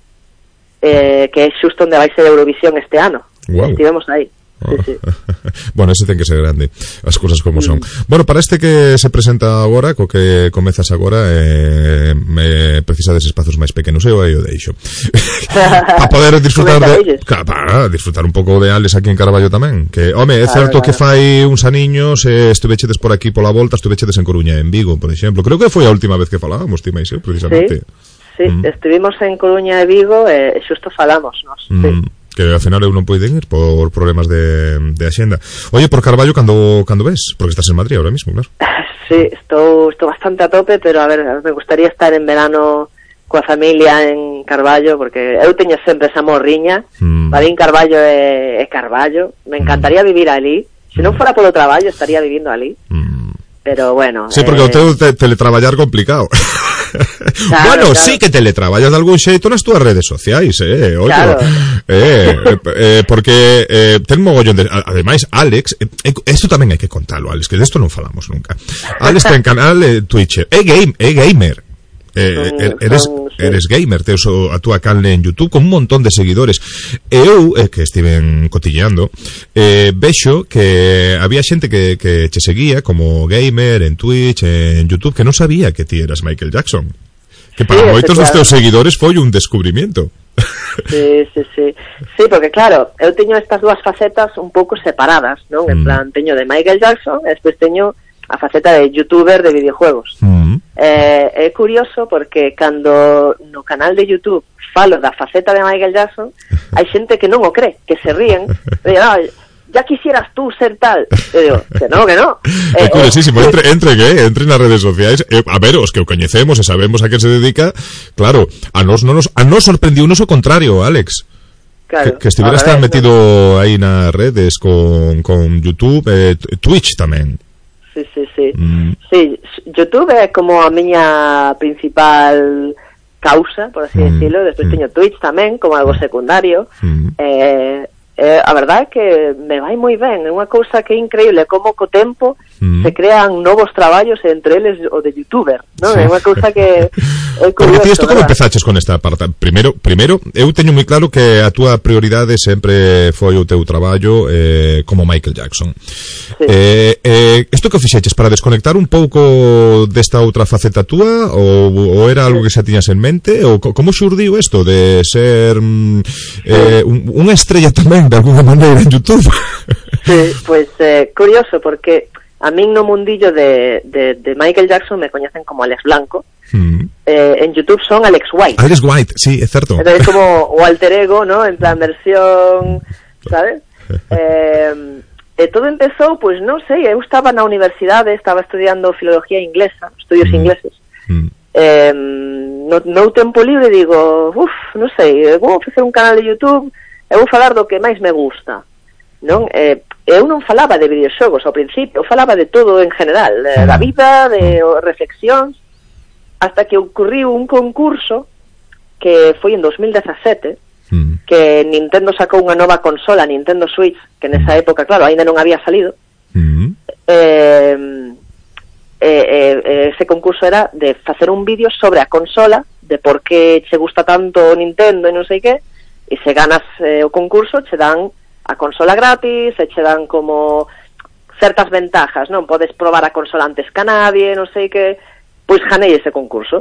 eh, que é xusto onde vai ser Eurovisión este ano. Wow. Estivemos aí. Sí, sí.
Bueno, ese ten que ser grande, as cousas como son. Mm. Bueno, para este que se presenta agora, co que comezas agora, eh, me precisades espazos máis pequenos, eu aí o deixo. Para poder disfrutar de, para disfrutar un pouco de Alex aquí en Carballo tamén. Que, home, é certo claro, que fai uns aniños eh, estuvechedes por aquí pola volta, estuvechedes en Coruña, en Vigo, por exemplo. Creo que foi a última vez que falábamos, ti máis eu, precisamente.
Sí, sí, mm. estuvimos en Coruña e Vigo e eh, xusto falamos, nos. Mm. Sí.
Que ao final eu non poiden ir por problemas de, de axenda. Oye, por Carballo, cando, cando ves? Porque estás en Madrid ahora mismo, claro.
Sí, estou, estou bastante a tope, pero a ver, me gustaría estar en verano coa familia en Carballo, porque eu teño sempre esa morriña, mm. Badín Carballo é, é Carballo, me encantaría mm. vivir ali, se non fora polo traballo estaría vivindo ali, mm. pero bueno...
Sí, porque eh... o teu te, teletraballar complicado. Claro, bueno, claro. Sí que teletraballas de algún xeito nas túas redes sociais, eh, oye, claro. eh, eh, eh, porque eh, ten mogollón de, ademais, Alex, eh, esto tamén hai que contalo, Alex, que de esto non falamos nunca. Alex ten canal eh, Twitch, é game, é gamer. Eh, son, eres, son, sí. eres gamer, teus a túa canle en YouTube con un montón de seguidores. Eu, eh, que estiven cotilleando, eh, vexo que había xente que, que che seguía como gamer en Twitch, en YouTube, que non sabía que ti eras Michael Jackson. Que para sí, moitos dos teus seguidores foi un descubrimiento.
Sí, sí, sí. Sí, porque claro, eu teño estas dúas facetas un pouco separadas, non? En mm. plan, teño de Michael Jackson e despois teño a faceta de youtuber de videojuegos. Mm. Eh, é curioso porque cando no canal de YouTube falo da faceta de Michael Jackson, hai xente que non o cree, que se ríen, e digo, no, ya quisieras tú ser tal. E digo, que no, que no.
É eh, curiosísimo, eh, entre, entre que entre nas redes sociais, eh, a ver, os que o coñecemos e sabemos a que se dedica, claro, a nos non nos a nos sorprendiu unos o contrario, Alex.
Claro,
que, que estiveras tan metido no. aí nas redes con, con YouTube, eh, Twitch tamén.
Sí, sí, sí. Mm. Sí, YouTube é como a miña principal causa, por así mm. decirlo. Despois mm. teño Twitch tamén, como algo secundario. Mm. Eh, eh, a verdade é que me vai moi ben. É unha cousa que é increíble, como co tempo mm. se crean novos traballos, entre eles o de youtuber, non? Sí. É unha cousa que é curioso.
Porque ti isto como empezaches con esta parte? Primeiro, primeiro, eu teño moi claro que a túa prioridade sempre foi o teu traballo eh, como Michael Jackson. Sí. Eh, eh, isto que fixeches para desconectar un pouco desta outra faceta túa ou, ou era algo que xa tiñas en mente? Ou como xurdiu isto de ser eh, un, unha estrella tamén de alguna maneira en YouTube?
Sí, pois pues, eh, curioso porque a min no mundillo de, de, de Michael Jackson me coñecen como Alex Blanco. Mm. Eh, en YouTube son Alex White.
Alex White, sí, é certo.
Entonces como o alter ego, ¿no? En plan versión, ¿sabes? eh, e todo empezou, pois pues, non sei, eu estaba na universidade, estaba estudiando filología inglesa, estudios mm. ingleses. Mm. Eh, no, no tempo libre digo, uff, non sei, vou facer un canal de YouTube e vou falar do que máis me gusta, non? Eh, eu non falaba de videoxogos ao principio, eu falaba de todo en general, de, da vida, de reflexións, hasta que ocurriu un concurso que foi en dos mil dezasete, mm. que Nintendo sacou unha nova consola, Nintendo Switch, que nesa mm. época, claro, ainda non había salido. Mm. Eh, eh, eh, ese concurso era de facer un vídeo sobre a consola, de por que che gusta tanto Nintendo e non sei que, e se ganas eh, o concurso che dan a consola gratis, e che dan como certas ventajas, non? Podes probar a consola antes que a nadie, non sei que. Pois ganei ese concurso.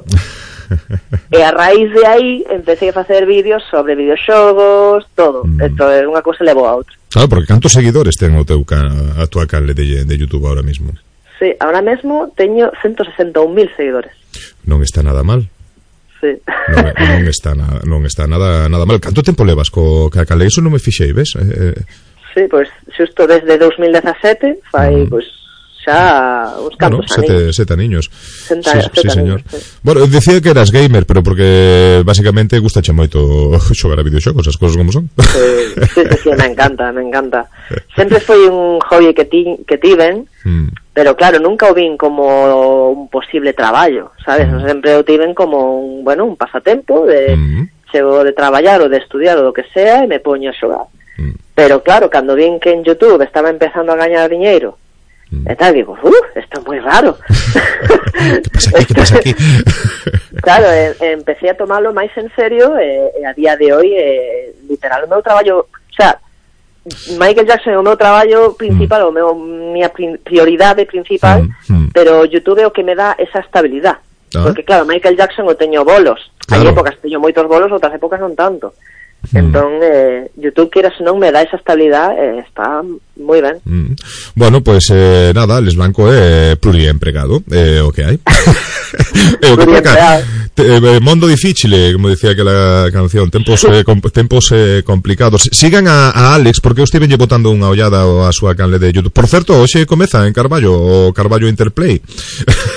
E a raíz de aí empecé a facer vídeos sobre videoxogos, todo. Mm. Esto é unha cousa levou a outra.
Claro, porque cantos seguidores ten o teu can, a tua canle de, de YouTube ahora mismo?
Sí, ahora mesmo teño ciento sesenta e un mil seguidores.
Non está nada mal.
Sí.
Non, non está nada, non está nada nada mal. Canto tempo levas co ca canle? Eso non me fixei, ves? Eh,
sí, pois pues, xusto desde dos mil dezasete fai, mm. pois pues, xa uns cantos
bueno, sete,
aniños.
Sete aniños.
Senta,
sí,
sete
sí, señor.
Años, sí.
Bueno, decía que eras gamer, pero porque basicamente gustache moito xogar a videoxogos, as cousas como son.
Sí, sí, sí, sí, me encanta, me encanta. Sempre foi un hobby que, ti, que tiven, mm. pero claro, nunca o vin como un posible traballo, sabes? Mm. Sempre o tiven como un, bueno, un pasatempo de mm. chego de traballar ou de estudiar ou do que sea e me poño a xogar. Mm. Pero claro, cando vin que en YouTube estaba empezando a gañar diñeiro, Mm. e tal, digo, uh, isto é moi raro.
Que pasa aquí, que pasa aquí?
Claro, e, e empecé a tomarlo máis en serio e, e a día de hoy e, literal, o meu traballo, o sea, Michael Jackson é o meu traballo principal, mm. o meu minha prioridade principal, mm. Mm. pero YouTube é o que me dá esa estabilidade. Ah. Porque claro, Michael Jackson o teño bolos. Claro. Hai épocas teño moitos bolos, outras épocas non tanto. Mm. Entón, eh, YouTube, queira se non, me dá esa estabilidade, eh, está moi ben.
Mm. Bueno, pues eh, nada, Les Blanco é eh, pluriempregado, é eh, o que hai. É o que toca. Eh, mondo difícil, como decía aquela canción, tempos eh, com, tempos eh, complicados. Sigan a, a Alex, porque eu estive botando unha ollada a súa canle de YouTube. Por certo, hoxe comeza en Carballo o Carballo Interplay.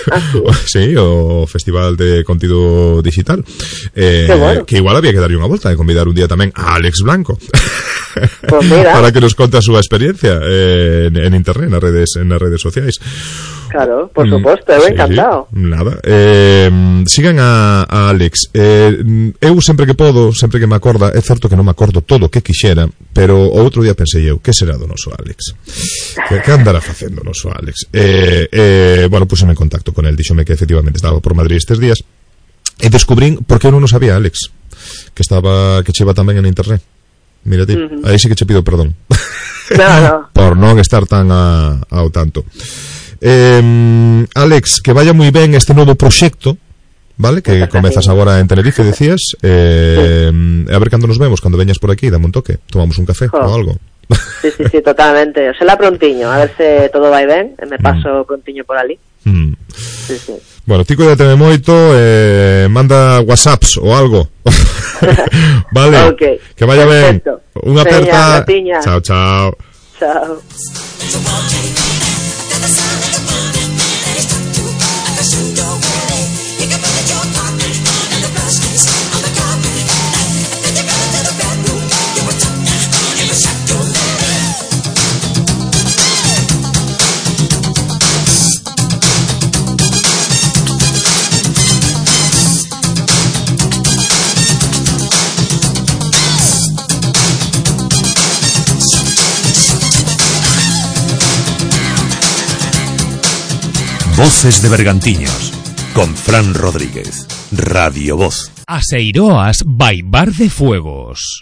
Ah,
sí? Sí, o Festival de Contido Digital. Eh,
bueno.
Que igual había que darlle unha volta e convidar un día tamén a Alex Blanco.
Pues mira.
Para que nos conte a súa experiencia eh, en, en internet, nas redes, en nas redes sociais.
Claro, por suposto, eu
sí,
encantado.
Sí, nada. Eh, sigan a, a Alex. Eh, eu sempre que podo, sempre que me acorda, é certo que non me acordo todo o que quixera, pero o outro día pensei eu, que será do noso Alex? Que, que andará facendo o noso Alex? Eh, eh, bueno, puseme en contacto con el, díxome que efectivamente estaba por Madrid estes días, e descubrín por que eu non o sabía, Alex, que estaba, que cheva tamén en internet. Mira ti, uh-huh. Aí sí que che pido perdón.
No, no.
Por non estar tan a, ao tanto. Eh, Alex, que vaya moi ben este novo proxecto, vale? Que comezas agora en Tenerife, decías. Eh, sí. A ver cando nos vemos, cando veñas por aquí, dame un toque, tomamos un café oh. ou algo.
Sí, sí, sí, totalmente. O sea, prontiño, a ver se todo vai ben, e me paso mm. prontiño por ali.
Mm.
Sí, sí.
Bueno, ti cuídateme moito, eh, manda whatsapps ou algo. Vale,
okay.
Que vaya ben. Unha aperta. Chao, chao.
Chao.
Voces de Bergantiños, con Fran Rodríguez, Radio Voz.
Aseiroas by Bar de Fuegos.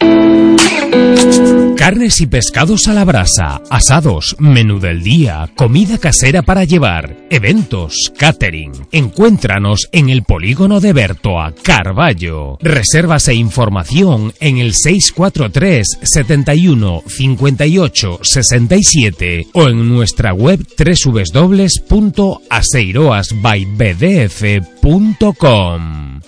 Carnes y pescados a la brasa, asados, menú del día, comida casera para llevar, eventos, catering. Encuéntranos en el polígono de Bertoa, Carballo. Reservas e información en el seis cuatro tres, setenta y uno, cincuenta y ocho, sesenta y siete o en nuestra web doble u doble u doble u punto aseiroas by b d f punto com.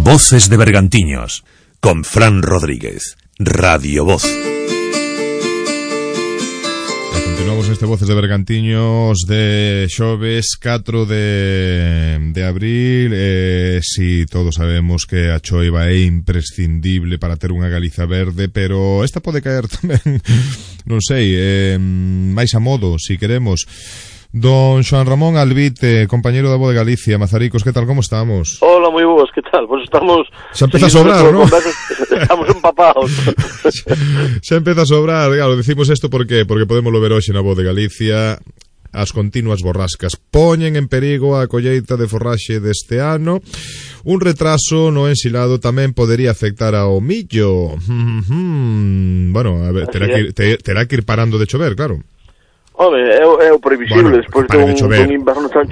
Voces de Bergantiños, con Fran Rodríguez, Radio Voz.
Continuamos neste Voces de Bergantiños de xoves catro de, de abril. eh, Si todos sabemos que a choiva é imprescindible para ter unha Galiza verde, pero esta pode caer tamén, non sei, eh, máis a modo, si queremos. Don Xoan Ramón Albite, compañero da Voz de Galicia, Mazaricos, que tal, como estamos?
Hola, moi boas, que tal? Pois pues estamos...
Xa empeza a sobrar, ¿no?
Estamos empapados.
Xa empeza a sobrar, claro, decimos isto porque porque podemos ver hoxe na Voz de Galicia. As continuas borrascas poñen en perigo a colleita de forraxe deste ano. Un retraso no ensilado tamén podería afectar ao millo. Bueno, a ver, terá que, ir, te, terá que ir parando de chover, claro.
Home, é, é o previsible, bueno, despois dun, de dun inverno tan